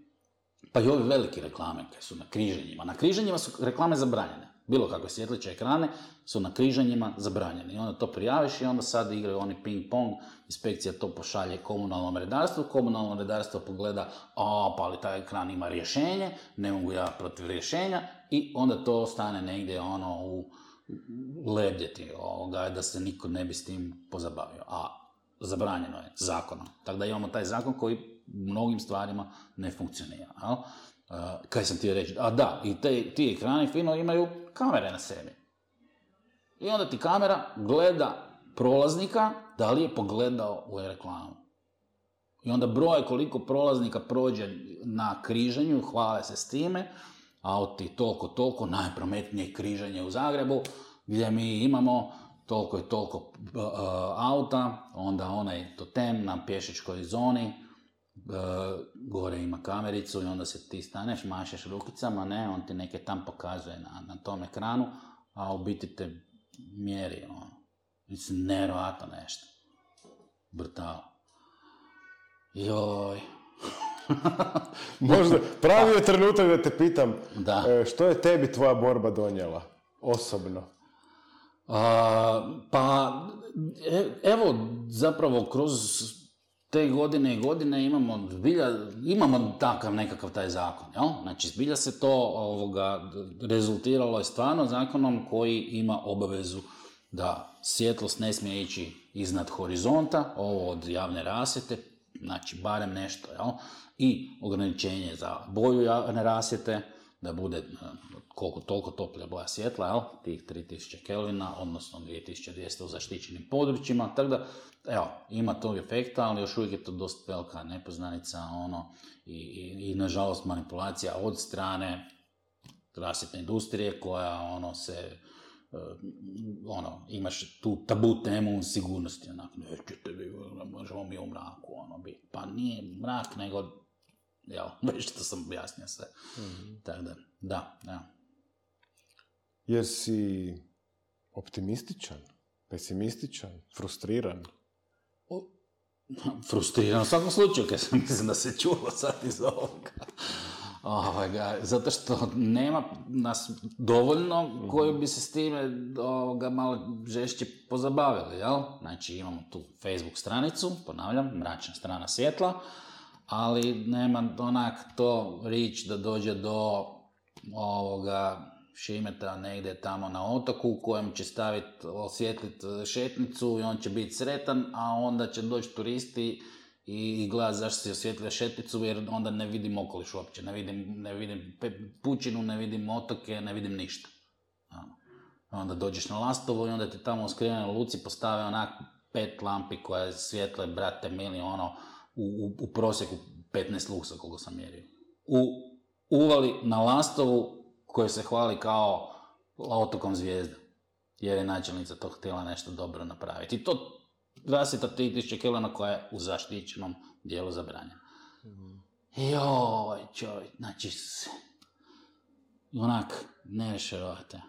pa i ovi veliki reklame koje su na križanjima. Na križanjima su reklame zabranjene. Bilo kakve svjetleće ekrane su na križanjima zabranjene. I onda to prijaviš i onda sad igraju oni ping-pong, inspekcija to pošalje komunalnom redarstvu, komunalno redarstvo pogleda, pa ali taj ekran ima rješenje, ne mogu ja protiv rješenja, i onda to ostane negdje u lebdjeti, da se niko ne bi s tim pozabavio. A zabranjeno je zakonom. Tako da imamo taj zakon koji mnogim stvarima ne funkcionira. Kaj sam ti reći? I ti ekrani fino imaju kamere na sebi. I onda ti kamera gleda prolaznika da li je pogledao u reklamu. I onda broj koliko prolaznika prođe na križanju, hvale se s time, auti toliko, najprometnije križanje u Zagrebu, gdje mi imamo toliko i toliko auta, onda onaj totem na pješačkoj zoni, gore ima kamericu i onda se ti staneš, mašeš rukicama, on ti neke tam pokazuje na tom ekranu, a u biti te mjeri, mislim, nevjerojatno nešto. Brutal. Joj. Možda, pravi je trenutak da te pitam, što je tebi tvoja borba donijela, osobno? Evo, zapravo, kroz te godine i godine imamo takav nekakav taj zakon, jel? Znači, zbilja se to rezultiralo je stvarno zakonom koji ima obavezu da svjetlost ne smije ići iznad horizonta, ovo od javne rasvjete, znači barem nešto, jel? I ograničenje za boju javne rasvjete, da bude koliko toliko toplja boja svjetla, jel? Tih 3000 kelvina, odnosno 2200 u zaštićenim područjima, tako da, evo, ima tog efekta, ali još uvijek je to dosta velika nepoznanica, i nažalost manipulacija od strane rasvjetne industrije koja imaš tu tabu temu sigurnosti, nećete vi, možemo mi u mraku, biti. Pa nije mrak, nego, već što sam objasnio sve. Mm-hmm. Tako da. Jesi optimističan, pesimističan, frustriran? Frustriran u svakom slučaju, kad sam mislim da se čulo sad iz ovoga. Zato što nema nas dovoljno koji bi se s time malo žešće pozabavili, jel? Znači imamo tu Facebook stranicu, ponavljam, mračna strana svjetla, ali nema to rič da dođe do Šimeta negdje tamo na otoku u kojem će osvjetliti šetnicu i on će biti sretan, a onda će doći turisti i gledati zašto si osvjetlio šetnicu, jer onda ne vidim okoliš uopće, ne vidim pučinu, ne vidim otoke, ne vidim ništa. Onda dođeš na Lastovo i onda ti tamo u skrivenoj luci postave 5 lampi koje svjetle, brate mili, u prosjeku 15 luksa koliko sam mjerio. Uvali na Lastovu koji se hvali kao otokom zvijezda, jer je načelnica to htjela nešto dobro napraviti. I to rasvjeta 3000 kelvina koja je u zaštićenom dijelu zabranjena. Joj, čovjek, znači, ne rešerovate.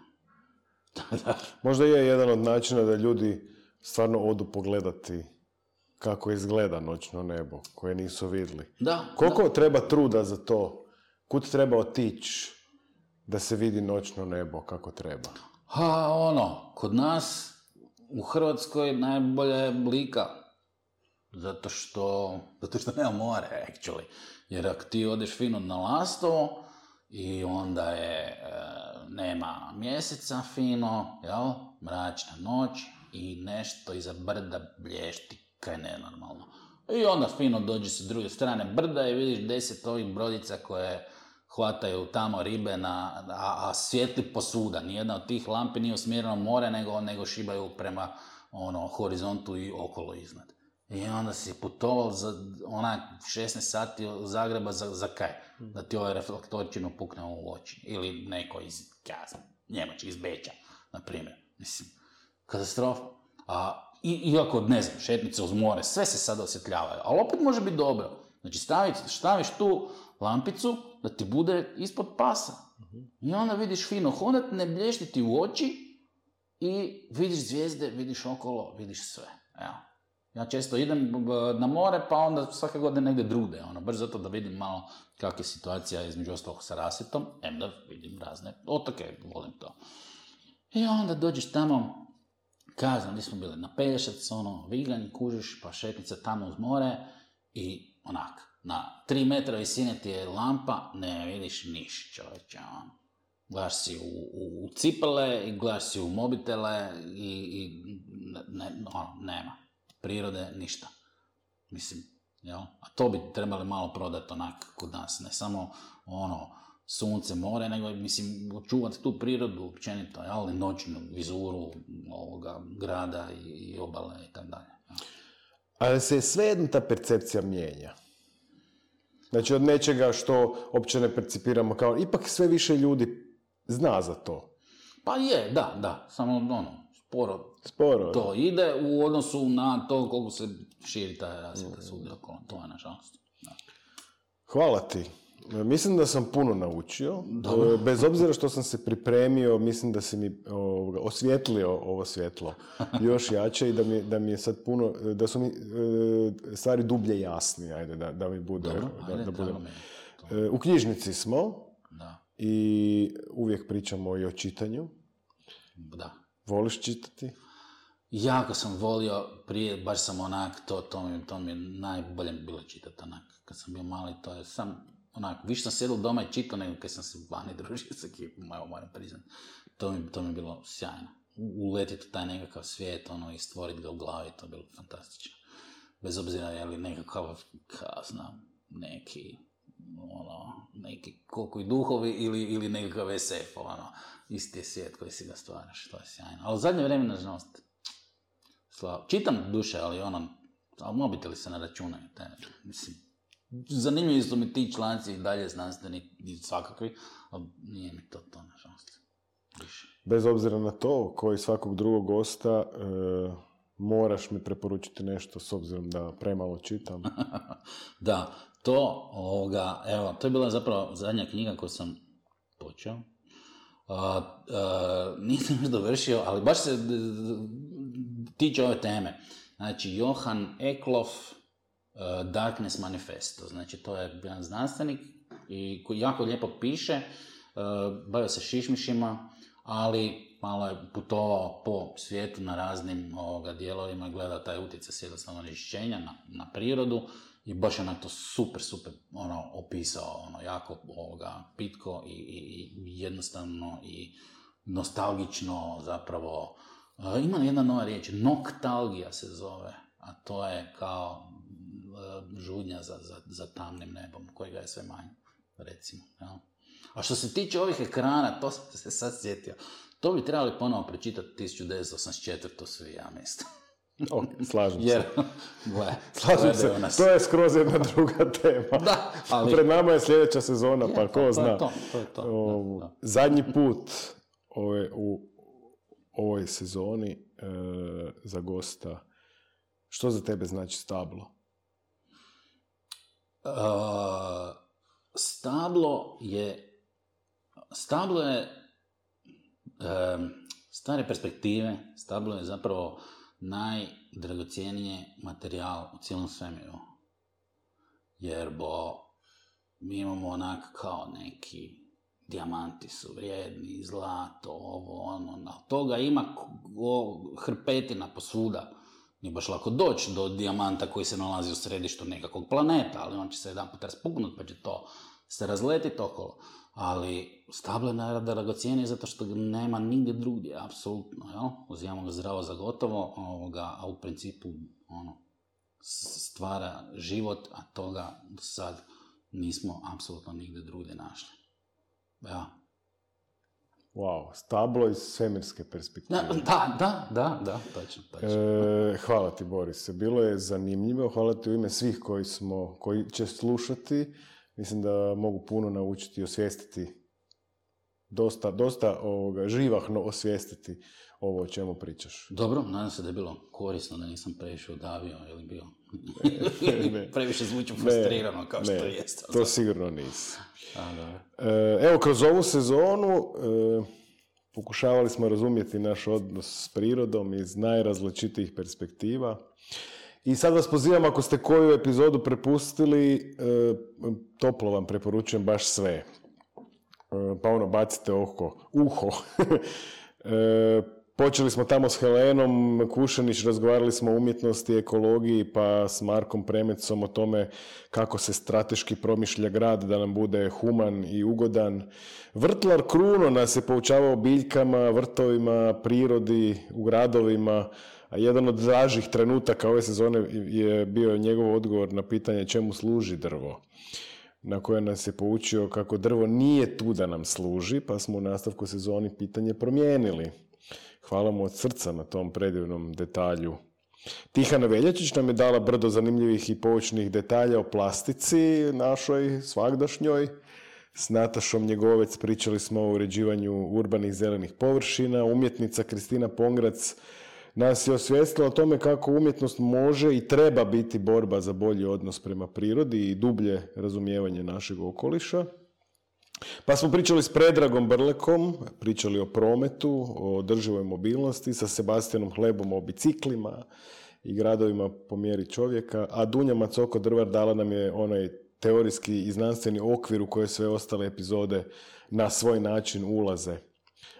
Možda je jedan od načina da ljudi stvarno odu pogledati kako izgleda noćno nebo, koje nisu vidjeli. Koliko treba truda za to? Kud treba otići da se vidi noćno nebo kako treba? Kod nas u Hrvatskoj najbolja je Lika. Zato što nema more, actually. Jer ako ti odeš fino na Lastovo i onda nema mjeseca fino, jel? Mračna noć i nešto iza brda blješti, kaj nenormalno. I onda fino dođe sa druge strane brda i vidiš 10 ovih brodica koje hvataju tamo ribe, a svijetli posuda. Nijedna od tih lampi nije usmjerena u more, nego šibaju prema horizontu i okolo iznad. I onda si putovao za 16 sati od Zagreba za kaj? Da ti ovaj reflektorčinu pukne u oči. Ili neko iz Njemačke, iz Beča, na primjer. Mislim, katastrofa. Iako, ne znam, šetnice uz more, sve se sad osvjetljavaju, ali opet može biti dobro. Znači, staviš tu lampicu da ti bude ispod pasa. I onda vidiš fino hodat, ne blješti ti u oči i vidiš zvijezde, vidiš okolo, vidiš sve. Evo. Ja često idem na more, pa onda svake godine negdje drugdje, baš zato da vidim malo kakva je situacija između ostalog sa Rasetom, da vidim razne otoke, volim to. I onda dođeš tamo, kazam, gdje smo bili, na Pelješac, Viganj, kužiš, pa šetnica tamo uz more i na 3 metra visine ti je lampa, ne vidiš niš, čovječe, Gledaš si u cipele i gledaš si u mobitele i nema. Prirode, ništa. Mislim, jel? A to bi trebali malo prodati kod nas, ne samo sunce, more, nego mislim, očuvati tu prirodu općenito, jel? Noćnu vizuru ovoga grada i obale i tako dalje. Ali se svejedno ta percepcija mijenja. Znači, od nečega što uopće ne percipiramo kao, ipak sve više ljudi zna za to. Pa je, da, samo sporo to ide u odnosu na to koliko se širi ta rasvjeta svugdje okolo. To je nažalost. Da. Hvala ti. Mislim da sam puno naučio. Bez obzira što sam se pripremio, mislim da si mi osvijetlio ovo svjetlo još jače i da mi je sad puno, da su mi stvari dublje jasni, ajde, da mi bude. Dobro, u knjižnici smo. Da. I uvijek pričamo i o čitanju. Da. Voliš čitati? Jako sam volio prije, baš sam to mi je najbolje bilo čitati kad sam bio mali, to je sam više sam sjedao doma i čitao nego kad sam se vani družio sa ekipom, moram priznati. To mi je bilo sjajno. Uletiti u taj nekakav svijet, i stvoriti ga u glavi, to je bilo fantastično. Bez obzira je li nekakav, neki koliko i duhovi ili nekakav SF, isti je svijet koji si ga stvaraš, to je sjajno. Ali u zadnje vrijeme, nažalost, čitam duše, ali mobiteli se ne računaju. Mislim, zanimljivi su mi ti članci i dalje znanstveni i svakakvi, ali nije mi to nažalost. Više. Bez obzira na to, koji svakog drugog gosta, moraš mi preporučiti nešto s obzirom da premalo čitam. Da, to je bila zapravo zadnja knjiga koju sam počeo. Nisam još dovršio, ali baš se tiče ove teme. Znači, Johan Eklof, Darkness Manifesto. Znači, to je jedan znanstvenik i koji jako lijepo piše, bavio se šišmišima, ali malo je putovao po svijetu na raznim dijelovima i gledao taj utjecaj svjetlosnog onečišćenja na prirodu i baš je to super opisao, jako pitko i jednostavno i nostalgično zapravo. Ima jedna nova riječ, noktalgija se zove, a to je kao žudnja za tamnim nebom, kojega je sve manje, recimo. Ja. A što se tiče ovih ekrana, to sam se sad sjetio, to bi trebali ponovo prečitati 1984. svi, ja mislim. Slažem se. Slažem se. To je skroz jedna druga tema. Da, ali... Pred nama je sljedeća sezona, pa ko zna. To je to. Zadnji put u ovoj sezoni za gosta, što za tebe znači stablo? Stablo je stare perspektive, stablo je zapravo najdragocjenije materijal u cijelom svemiru. Jer mi imamo kao neki dijamanti su vrijedni, zlato, od toga ima hrpetina posvuda. Nije baš lako doći do dijamanta koji se nalazi u središtu nekakvog planeta, ali on će se jedan put raspuknuti pa će to se razletiti okolo. Ali stablo je najdragocjenije zato što ga nema nigdje drugdje, apsolutno, jel? Uzimamo ga zdravo za gotovo, a u principu stvara život, a toga sad nismo apsolutno nigdje drugdje našli. Ja. Wow, stablo iz svemirske perspektive. Da, točno. Hvala ti, Borise. Bilo je zanimljivo. Hvala ti u ime svih koji će slušati. Mislim da mogu puno naučiti i osvijestiti, dosta živahno osvijestiti ovo o čemu pričaš. Dobro, nadam se da je bilo korisno, da nisam previše udavio ili bio previše zvuču frustrirano kao što jest. To sigurno nisi. Evo, kroz ovu sezonu pokušavali smo razumjeti naš odnos s prirodom iz najrazličitijih perspektiva. I sad vas pozivam, ako ste koju epizodu prepustili, toplo vam preporučujem baš sve. Pa bacite uho. Počeli smo tamo s Helenom Kušanić, razgovarali smo o umjetnosti, ekologiji, pa s Markom Premecom o tome kako se strateški promišlja grad da nam bude human i ugodan. Vrtlar Kruno nas je poučavao biljkama, vrtovima, prirodi, u gradovima, a jedan od dražih trenutaka ove sezone je bio njegov odgovor na pitanje čemu služi drvo, na koje nas je poučio kako drvo nije tu da nam služi, pa smo u nastavku sezoni pitanje promijenili. Hvala mu od srca na tom predivnom detalju. Tihana Veljačić nam je dala brdo zanimljivih i poučnih detalja o plastici našoj, svagdašnjoj. S Natašom Njegovec pričali smo o uređivanju urbanih zelenih površina. Umjetnica Kristina Pongrac nas je osvijestila o tome kako umjetnost može i treba biti borba za bolji odnos prema prirodi i dublje razumijevanje našeg okoliša. Pa smo pričali s Predragom Brlekom, pričali o prometu, o održivoj mobilnosti, sa Sebastianom Hlebom o biciklima i gradovima po mjeri čovjeka, a Dunja Macoko-Drvar dala nam je onaj teorijski i znanstveni okvir u koje sve ostale epizode na svoj način ulaze.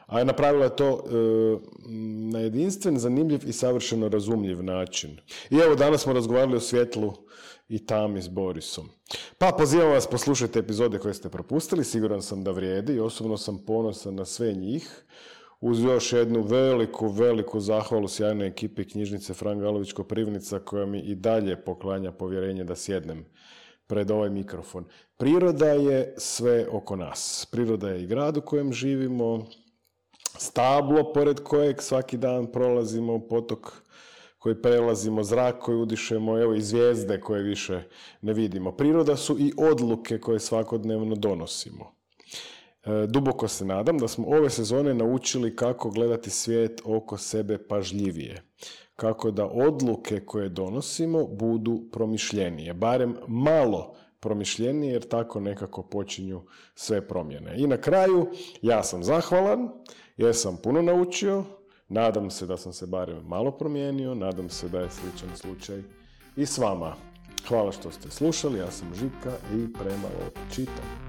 A napravila je to na jedinstven, zanimljiv i savršeno razumljiv način. I evo, danas smo razgovarali o svjetlu i tami s Borisom. Pa pozivam vas, poslušajte epizode koje ste propustili, siguran sam da vrijedi i osobno sam ponosan na sve njih. Uz još jednu veliku zahvalu sjajnoj ekipi knjižnice Fran Galović Koprivnica koja mi i dalje poklanja povjerenje da sjednem pred ovaj mikrofon. Priroda je sve oko nas. Priroda je i grad u kojem živimo, stablo pored kojeg svaki dan prolazimo, potok koji prelazimo, zrak koji udišemo, evo i zvijezde koje više ne vidimo. Priroda su i odluke koje svakodnevno donosimo. Duboko se nadam da smo ove sezone naučili kako gledati svijet oko sebe pažljivije. Kako da odluke koje donosimo budu promišljenije, barem malo promišljenije, jer tako nekako počinju sve promjene. I na kraju, ja sam zahvalan, jer sam puno naučio, nadam se da sam se barem malo promijenio, nadam se da je sličan slučaj i s vama. Hvala što ste slušali, ja sam Žika i premalo čitam.